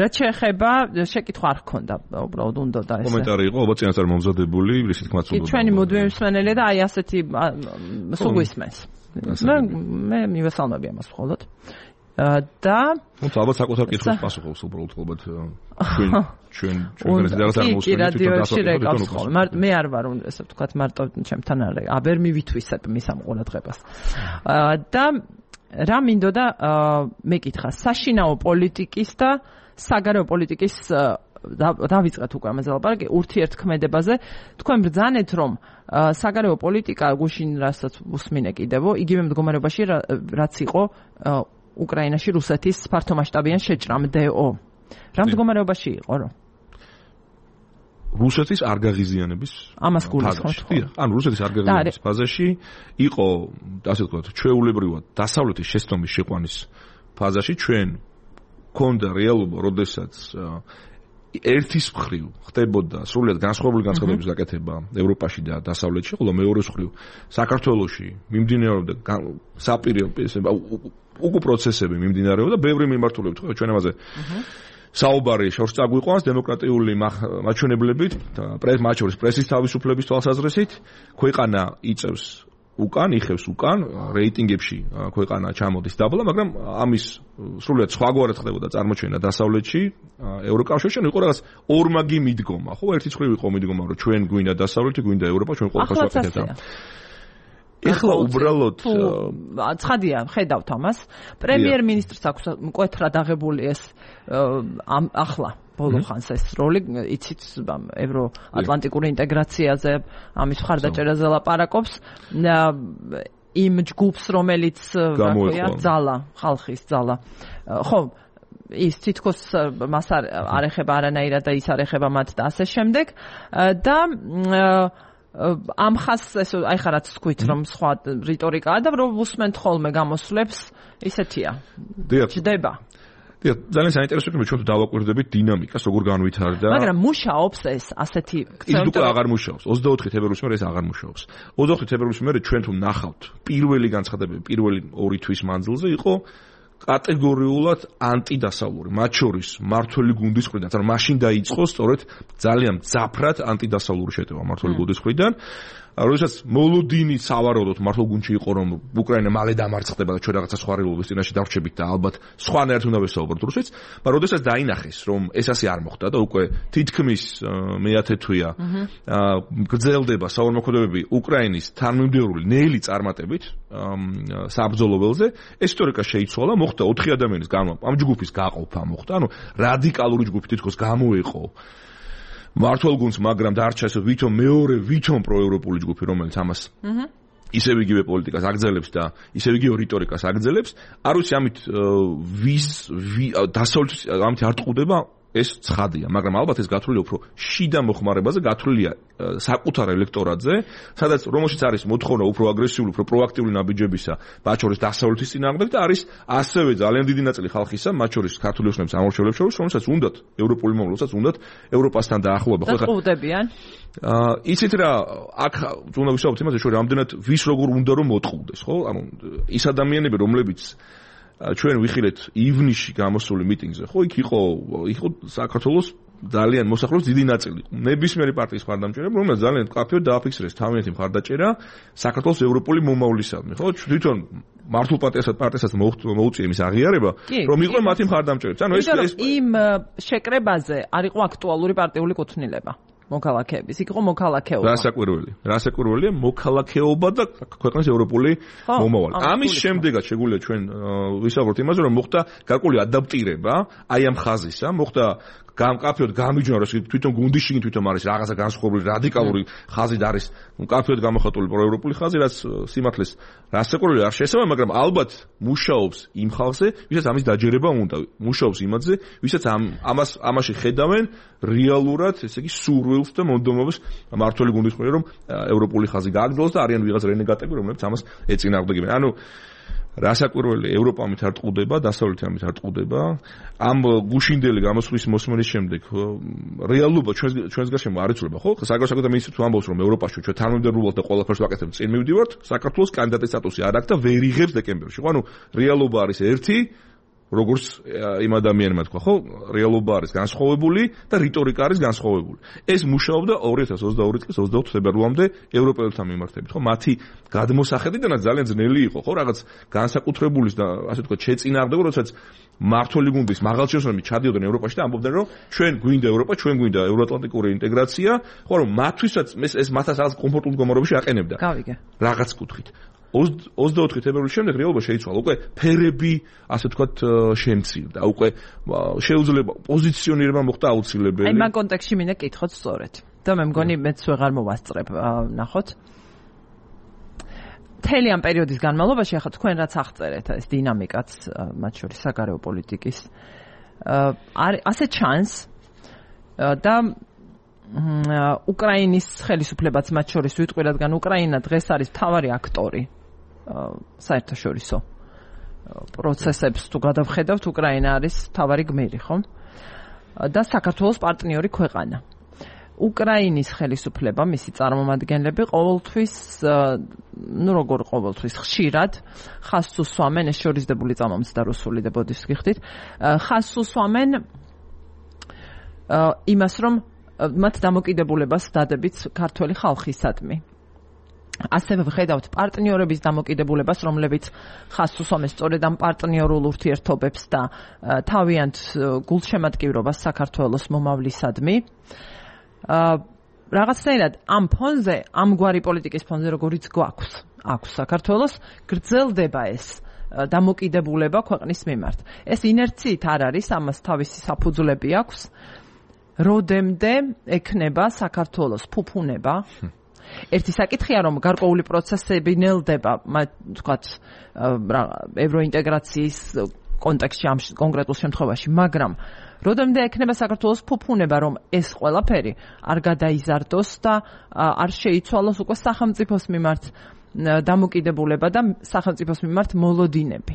რაც შეეხება შეკითხვა არ ჰქონდა, უბრალოდ უნდა და ეს. კომენტარი იყო, ალბათ წინასწარ მომზადებული, ისე თქმაც უნდა. ჩვენი მუდმივი მსმენელი და აი ასეთი სულ გვისმენს. მე მივესალმები ამას მხოლოდ. და თუმცა ალბათ საკუთარ კითხვას პასუხობს უბრალოდ ალბათ ჩვენ რაღაც არ მოსვენით მე არ ვარ ესე ვთქვათ მარტო ჩემთან არ ვერ მივითვისებ მის ამ ყურადღებას. და რა მინდოდა მეკითხა საშინაო პოლიტიკის და საგარეო პოლიტიკის დავიწყეთ უკვე ამაზე ლაპარაკი ურთიერთქმედებაზე. თქვენ ბრძანეთ რომ საგარეო პოლიტიკა გუშინ რასაც უსმინე კიდევ იგივე მდგომარეობაში რაც იყო უკრაინაში რუსეთის ფართომასშტაბიან შეჭრამდეო. რა მდგომარეობაში იყო რომ რუსეთის არ გაღიზიანების ამას გულისხმობთ. ანუ რუსეთის არ გაღიზიანების ფაზაში იყო, ასე ვთქვათ, ჩვეულებრივად დასავლეთის შესწომის შეყვანის ფაზაში ჩვენ გქონდა რეალობა, როდესაც ერთის მხრივ ხდებოდა სრულიად განსხვავებული განცხადების გაკეთება ევროპაში და დასავლეთში, ხოლო მეორე მხრივ საქართველოში მიმდინარეობდა საპირე უკუ პროცესები მიმდინარეობდა, ბევრი მიმართულებით ხო ჩვენ ამაზე საუბარი შორს წაგვიყვანს დემოკრატიული მაჩვენებლებით და მათ შორის პრესის თავისუფლების თვალსაზრისით ქვეყანა იწევს უკან, იხევს უკან, რეიტინგებში ქვეყანა ჩამოდის დაბლა, მაგრამ ამის სრულიად სხვაგვარად ხდებოდა წარმოჩენა დასავლეთში, ევროკავშირში, იყო რაღაც ორმაგი მიდგომა, ხო, ერთის მხრივ იყო მიდგომა, რომ ჩვენ გვინდა დასავლეთი, გვინდა ევროპა, ჩვენ ყველაფერს ვაკეთებთ. ეხლა უბრალოდ ცხადია, ხედავთ ამას. პრემიერ-მინისტრს აქვს მკვეთრად აღებული ეს ახლა ბოლო ხანს ეს როლი, იცით, ევროატლანტიკური ინტეგრაციაზე, ამის მხარდაჭერაზე ლაპარაკობს. იმ ჯგუფს, რომელიც ძალა, ხალხის ძალა. ხო, ის თითქოს მას არ ეხება არანაირად და ის არ ეხება მათ და ასე შემდეგ და ამ ხას ეს აი ხა რაც თქვით რომ სხვა რიტორიკაა და რომ უსმენთ ხოლმე გამოსვლებს ისეთია. ჯდება. დიახ, ძალიან საინტერესო იქნება ჩვენ თუ დავაკვირდებით დინამიკას, როგორ განვითარდა. მაგრამ მუშაობს ეს ასეთი ის უკვე აღარ მუშაობს. 24 თებერვლის მერე ეს აღარ მუშაობს. 24 თებერვლის მერე ჩვენ თუ ნახავთ პირველი განცხადებები, პირველი 2 თვის მანძილზე იყო კატეგორიულად ანტიდასავლური, მათ შორის მართველი გუნდის მხრიდან, ანუ მაშინ დაიწყო სწორედ ძალიან მძაფრად ანტიდასავლური შეტევა მართველი გუნდის მხრიდან. როდესაც მოლოდინი სავარაუდოდ მართლ გუნდში იყო რომ უკრაინა მალე დამარცხდება და ჩვენ რაღაცა სხვა რეალობის წინაშე დავრჩებით და ალბათ სხვანაირად უნდა ვესაუბროთ რუსეთს, მაგრამ როდესაც დაინახეს რომ ეს ასე არ მოხდა და უკვე თითქმის მეათე თვეა გრძელდება საომრმოქმედებები უკრაინის თანმიმდევრული ნელი წარმატებით საბრძოლო ველზე, ეს ისტორიკა შეიცვალა, მოხდა 4 ადამიანის ამ ჯგუფის გაყოფა მოხდა, ანუ რადიკალური ჯგუფი თითქოს გამოეყო მართლ გუნდს, მაგრამ დარჩა ეს ვითომ პროევროპული ჯგუფი, რომელიც ამას ისევ იგივე პოლიტიკას აგრძელებს და ისევ იგივე რიტორიკას აგრძელებს. არ ვიცი ამით დასავლეთის ამით არ ტყუდება ეს ცხადია, მაგრამ ალბათ ეს გათვლილია უფრო შიდა მოხმარებაზე, გათვლილია საკუთარ ელექტორატზე, სადაც რომელშიც არის მოთხოვნა უფრო აგრესიული, უფრო პროაქტიული ნაბიჯებისა, მათ შორის დასავლეთის წინააღმდეგ და არის ასევე ძალიან დიდი ნაწილი ხალხისა, მათ შორის ქართული ოცნების ამორჩევლებს შორის, რომელსაც უნდათ ევროპული მომრავლსაც უნდათ ევროპასთან დაახლოება. ხო, ხუდებიან. იცით რა, აქ უნდა ვისაუბროთ იმაზე, რომ რამდენად ვის როგორ უნდა რომ მოტყუდეს, ხო? ანუ ის ადამიანები, რომლებიც ჩვენ ვიხილეთ ივნისში გამოსული მიტინგზე, ხო, იქ იყო საქართველოს ძალიან მოსახლეობის დიდი ნაწილი. ნებისმიერი პარტიის მხარდამჭერები, რომელიც ძალიან კაფეოდ დააფიქსირეს თავიანთი მხარდაჭერა საქართველოს ევროპული მომავლისადმი, ხო? თვითონ მართულ პარტიასაც მოუწია იმის აღიარება, რომ იყვნენ მათი მხარდამჭერები. ანუ ეს იმ შეკრებაზე არ იყო აქტუალური პარტიული კუთვნილება. მოქალაქეების, იქ იყო მოქალაქეობა. რა საკურველია მოქალაქეობა და ქვეყნის ევროპული მომავალი. ამის შემდეგაც შეგვიძლია ჩვენ ვისაუბროთ იმაზე, რომ მოხდა გარკვეული ადაპტირება აი ამ ხაზისა, მოხდა კაფეოდ გამიჯნა, რომ თვითონ გუნდიში თვითონ არის რაღაცა განსხვავებული რადიკალური ხაზი და არის კაფეოდ გამოხატული პროევროპული ხაზი, რაც სიმართლეს რა საკურველი არ შეესაბამება, მაგრამ ალბათ მუშაობს იმ ხალხზე, ვისაც ამის დაჯერება უნდა, მუშაობს იმაზე, ვისაც ამაში ხედავენ რეალურად, ესე იგი სურვილს და მონდომობას მართველი გუნდის მიერ, რომ ევროპული ხაზი გააგრძელოს და არიან ვიღაც რენეგატები, რომლებიც ამას ეწინააღმდეგებენ. ანუ რასაკვირველია, ევროპა ამით არ ტყუდება, დასავლეთი ამით არ ტყუდება. ამ გუშინდელი გამოსვლის მოსმენის შემდეგ რეალობა ჩვენს გარშემო არ იცვლება, ხო? საგარეო მინისტრი თუ ამბობს, რომ ევროპაში ჩვენ თანამდებობად და ყველაფერს ვაკეთებთ, წინ მივდივართ, საქართველოს კანდიდატის სტატუსი არ აქვს და ვერ იღებს დეკემბერში. ხო, ანუ რეალობა არის ერთი, როგორც იმ ადამიანმა თქვა, ხო? რეალობა არის განსხვავებული და რიტორიკა არის განსხვავებული. ეს მუშაობდა 2022 წლის 24 თებერვალამდე ევროპელთა მიმართებით, ხო? მათი გადმოსახედიდანაც ძალიან ძნელი იყო, ხო? რაღაც განსაკუთრებულის და ასე თქვა შეწინააღმდეგო, როდესაც მართველი გუნდის მაღალჩინოსნები ჩადიოდნენ ევროპაში და ამბობდნენ, რომ ჩვენ გვინდა ევროპა, ჩვენ გვინდა ევროატლანტიკური ინტეგრაცია, ხო, რომ მათთვისაც ეს მათაც რაღაც კომფორტულ მდგომარეობაში აყენებდა. გავიგე. რაღაც კუთხით. 24 თებერვლის შემდეგ რეალობა შეიცვალა. უკვე ფერები, ასე ვთქვათ, შემცირდა. უკვე შეუძლება პოზიციონირება მოხდა აუცილებელი. აი მაგ კონტექსტში მინდა კითხოთ სწორედ. და მე მგონი მეც ვეღარ მოვასწრებ, ნახოთ. მთელი ამ პერიოდის განმავლობაში ახლა თქვენ რაც აღწერეთ, ეს დინამიკაც, მათ შორის საგარეო პოლიტიკის ასე ჩანს და უკრაინის ხელისუფლებაც მათ შორის ვიტყვი, რადგან უკრაინა დღეს არის მთავარი აქტორი საერთაშორისო პროცესებს თუ გადავხედავთ, უკრაინა არის მთავარი გმირი, ხო? და საქართველოს პარტნიორი ქვეყანა. უკრაინის ხელისუფლება, მისი წარმომადგენლები ყოველთვის, როგორ ყოველთვის, ხშირად ხაზს უსვამენ, ეს შორისდებული წამომცდა და რუსული და ბოდიშს გიხდით, ხაზს უსვამენ იმას, რომ მათ დამოკიდებულებას დადებით ქართველი ხალხისადმი. ასევე ვხედავთ პარტნიორების დამოკიდებულებას, რომლებიც ხაზს უსვამენ სწორედ ამ პარტნიორულ ურთიერთობებს და თავიანთ გულშემატკივრობას საქართველოს მომავლისადმი. რაღაცნაირად ამ ფონზე, ამგვარი პოლიტიკის ფონზე, როგორიც აქვს საქართველოს, გრძელდება ეს დამოკიდებულება ქვეყნის მიმართ. ეს ინერციით არ არის, ამას თავისი საფუძვლები აქვს. როდემდე ექნება საქართველოს ფუფუნება? ერთი საკითხია, რომ გარკვეული პროცესები ნელდება, თქვათ, ევროინტეგრაციის კონტექსტში ამ კონკრეტულ შემთხვევაში, მაგრამ როდემდე ექნება საქართველოს ფუფუნება, რომ ეს ყველაფერი არ გადაიზარდოს და არ შეიცვალოს უკვე სახელმწიფოს მიმართ დამოკიდებულება და სახელმწიფოს მიმართ მოლოდინები.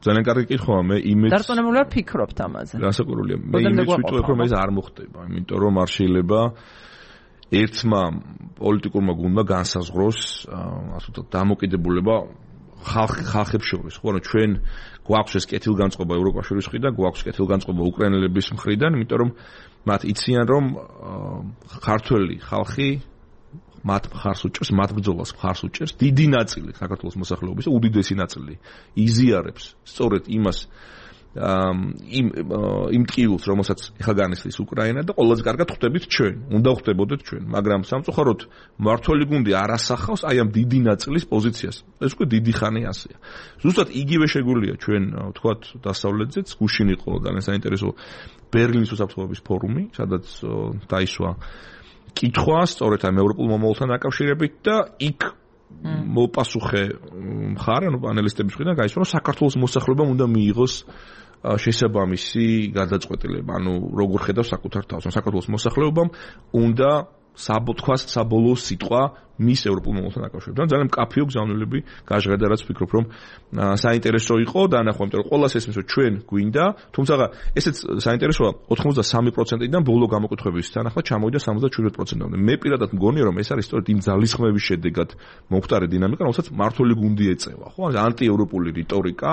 ძალიან კარგი კითხვაა, მე იმედს დარწმუნებული ვფიქრობთ ამაზე. რასაკურველია, მე იმედს ვიტყვი, რომ ეს არ მოხდება, იმიტომ რომ არ შეიძლება ერთმა პოლიტიკურმა გუნდმა განსაზღვროს, ასე ვთქვათ, დამოკიდებულება ხალხებს შორის, ხო, ანუ ჩვენ გვაქვს ეს კეთილგანწყობა ევროკავშირის მხრიდან, გვაქვს კეთილგანწყობა უკრაინელების მხრიდან, იმიტომ რომ მათ იციან, რომ ქართველი ხალხი მათ მხარს უჭერს, მათ ბრძოლას მხარს უჭერს, დიდი ნაწილი საქართველოს მოსახლეობის, უდიდესი ნაწილი იზიარებს სწორედ იმას იმ ტკივილს, რომელსაც ეხლა განისლის უკრაინა და ყველაზე კარგად ხვდებით ჩვენ, უნდა ხვდებოდეთ ჩვენ, მაგრამ სამწუხაროდ მართველი გუნდი არ ასახავს აი ამ დიდი ნაწილის პოზიციას. ეს უკვე დიდი ხანი ასეა. ზუსტად იგივე შეგვიძლია ჩვენ, ვთქვათ, დასავლეთზეც, გუშინ იყო ძალიან საინტერესო ბერლინის უსაფრთხოების ფორუმი, სადაც დაისვა კითხვა სწორედ ამ ევროპულ მომავალთან დაკავშირებით და იქ მოპასუხე მხარ, ანუ პანელისტების მხრიდან გაისვა, რომ საქართველოს მოსახლეობამ უნდა მიიღოს შესაბამისი გადაწყვეტილება, ანუ როგორ ხედავს საკუთარ თავს, საქართველოს მოსახლეობამ უნდა საბოლოო სიტყვა მის ევროპულ მომავალთან დაკავშირებით. ძალიან მკაფიო გზავნილები გაჟღერდა, რაც ვფიქრობ, რომ საინტერესო იყო დაანახო, იმიტომ რომ ყველას ესმის, რომ ჩვენ გვინდა, თუმცა ესეც საინტერესოა 83%-დან ბოლო გამოკითხვების თანახმად ჩამოვიდა 77%-მდე. მე პირადად მგონია, რომ ეს არის სწორედ იმ ძალისხმევის შედეგად მომხდარი დინამიკა, რომელსაც მართული გუნდი ეწევა, ხო? ანტიევროპული რიტორიკა,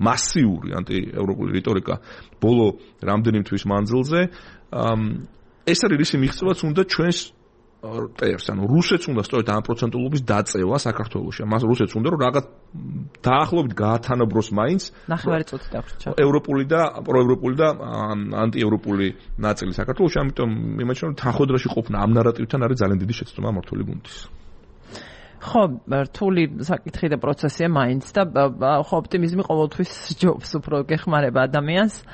მასიური ანტიევროპული რიტორიკა ბოლო რამდენი თვის მანძილზე ეს არის ისი მიღწევაც უნდა ჩვენს პერს, ანუ რუსეთს უნდა სწორედ ამ პროცენტულობის დაწევა საქართველოში. მას რუსეთს უნდა რომ რაღაც დაახლოებით გაათანაბროს მაინც ნახევარი წუთი დაგვრჩა. ევროპული და პროევროპული და ანტიევროპული ნაწილი საქართველოში, ამიტომ იმეჩნია რომ თანხმდროში ყოფნა ამ ნარატივთან არის ძალიან დიდი შეცდომა მართული გუნდის. ხო, რთული საკითხი და პროცესია მაინც და ხო ოპტიმიზმი ყოველთვის ჯობს, უფრო გეხმარება ადამიანს.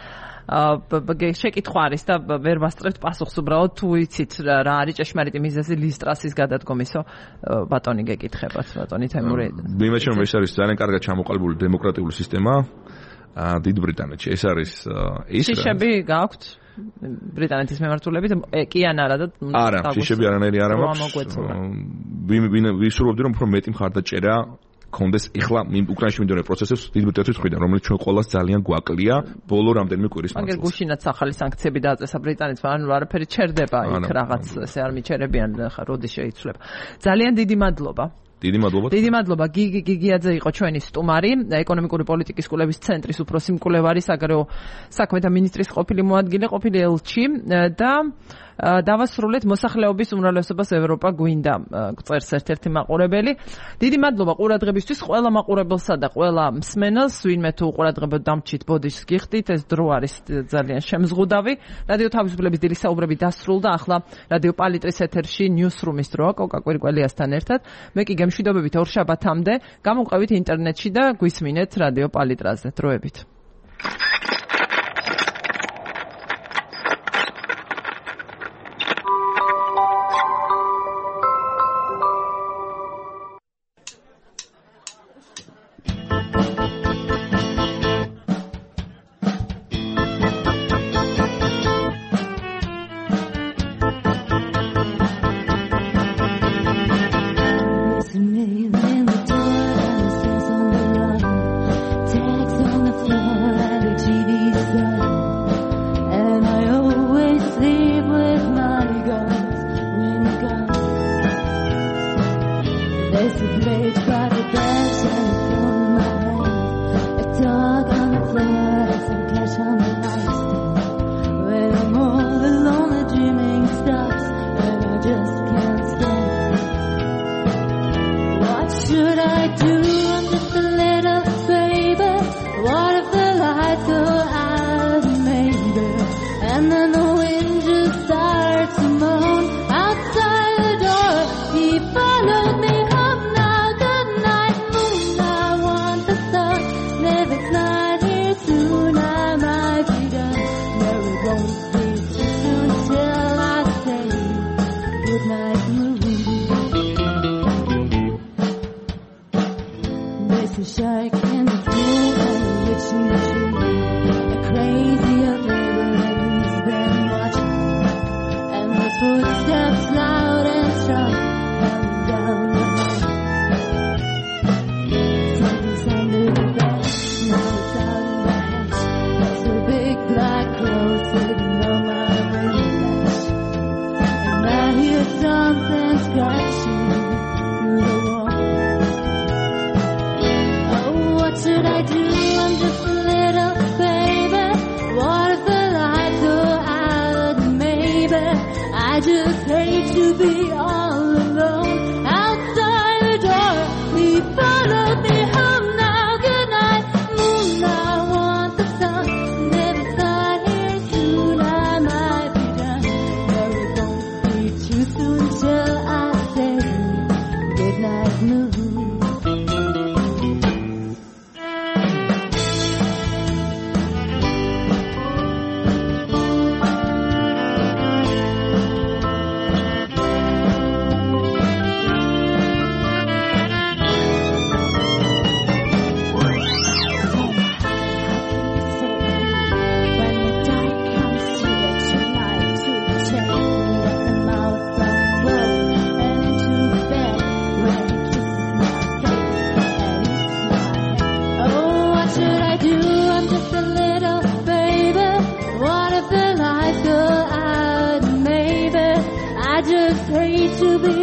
შეკითხვა არის და ვერ ვასწრებთ პასუხს უბრალოდ თუ იცით რა არის ჭეშმარიტი მიზეზი ლისტრასის გადადგომისო ბატონი გეკითხებათ ბატონი თემური. იმეჩნია რომ ეს არის ძალიან კარგად ჩამოყალიბებული დემოკრატიული სისტემა დიდ ბრიტანეთში. ეს არის ის შიშები გაქვთ ბრიტანეთის მემართულებით კი ან არა და არა შიშები არანაირი არ მაქვს. ვისურვებდი რომ უფრო მეტი მხარდაჭერა კონდეს ეხლა უკრაინაში მიმდინარე პროცესებს დიდ ბრიტანეთის მხრიდან, რომელიც ჩვენ ყოველას ძალიან გვაკლია ბოლო რამდენიმე კვირის მანძილზე. მაგრამ გუშინაც ახალი სანქციები დააწესა ბრიტანეთს, ანუ არაფერი ჩერდება იქ რაღაც ესე არ მიჩერებიან ხა როდის შეიცვლება. ძალიან დიდი მადლობა. დიდი მადლობა. გიგიაძე იყო ჩვენი სტუმარი, ეკონომიკური პოლიტიკის კვლევის ცენტრის უფროსი მკვლევარი, საგარეო საქმეთა მინისტრის ყოფილი მოადგილე, ყოფილი ელჩი და დავასრულეთ მოსახლეობის უმრავლესობას ევროპა გვინდა წერს ერთ-ერთი მაყურებელი. დიდი მადლობა ყურადღებისთვის ყველა მაყურებელსა და ყველა მსმენელს, ვინმე თუ ყურადღებოდ დამჩით ბოდიშს გიხდით, ეს დრო არის ძალიან შემზღუდავი. რადიო თავისუფლების დილის საუბრები დასრულდა, ახლა რადიო პალიტრის ეთერში ნიუსრუმის დროა კოკა კვირკველიასთან ერთად. მე კი გემშვიდობებით ორშაბათამდე, გამოვყევით ინტერნეტში და გვისმინეთ რადიო პალიტრაზე. დროებით. to be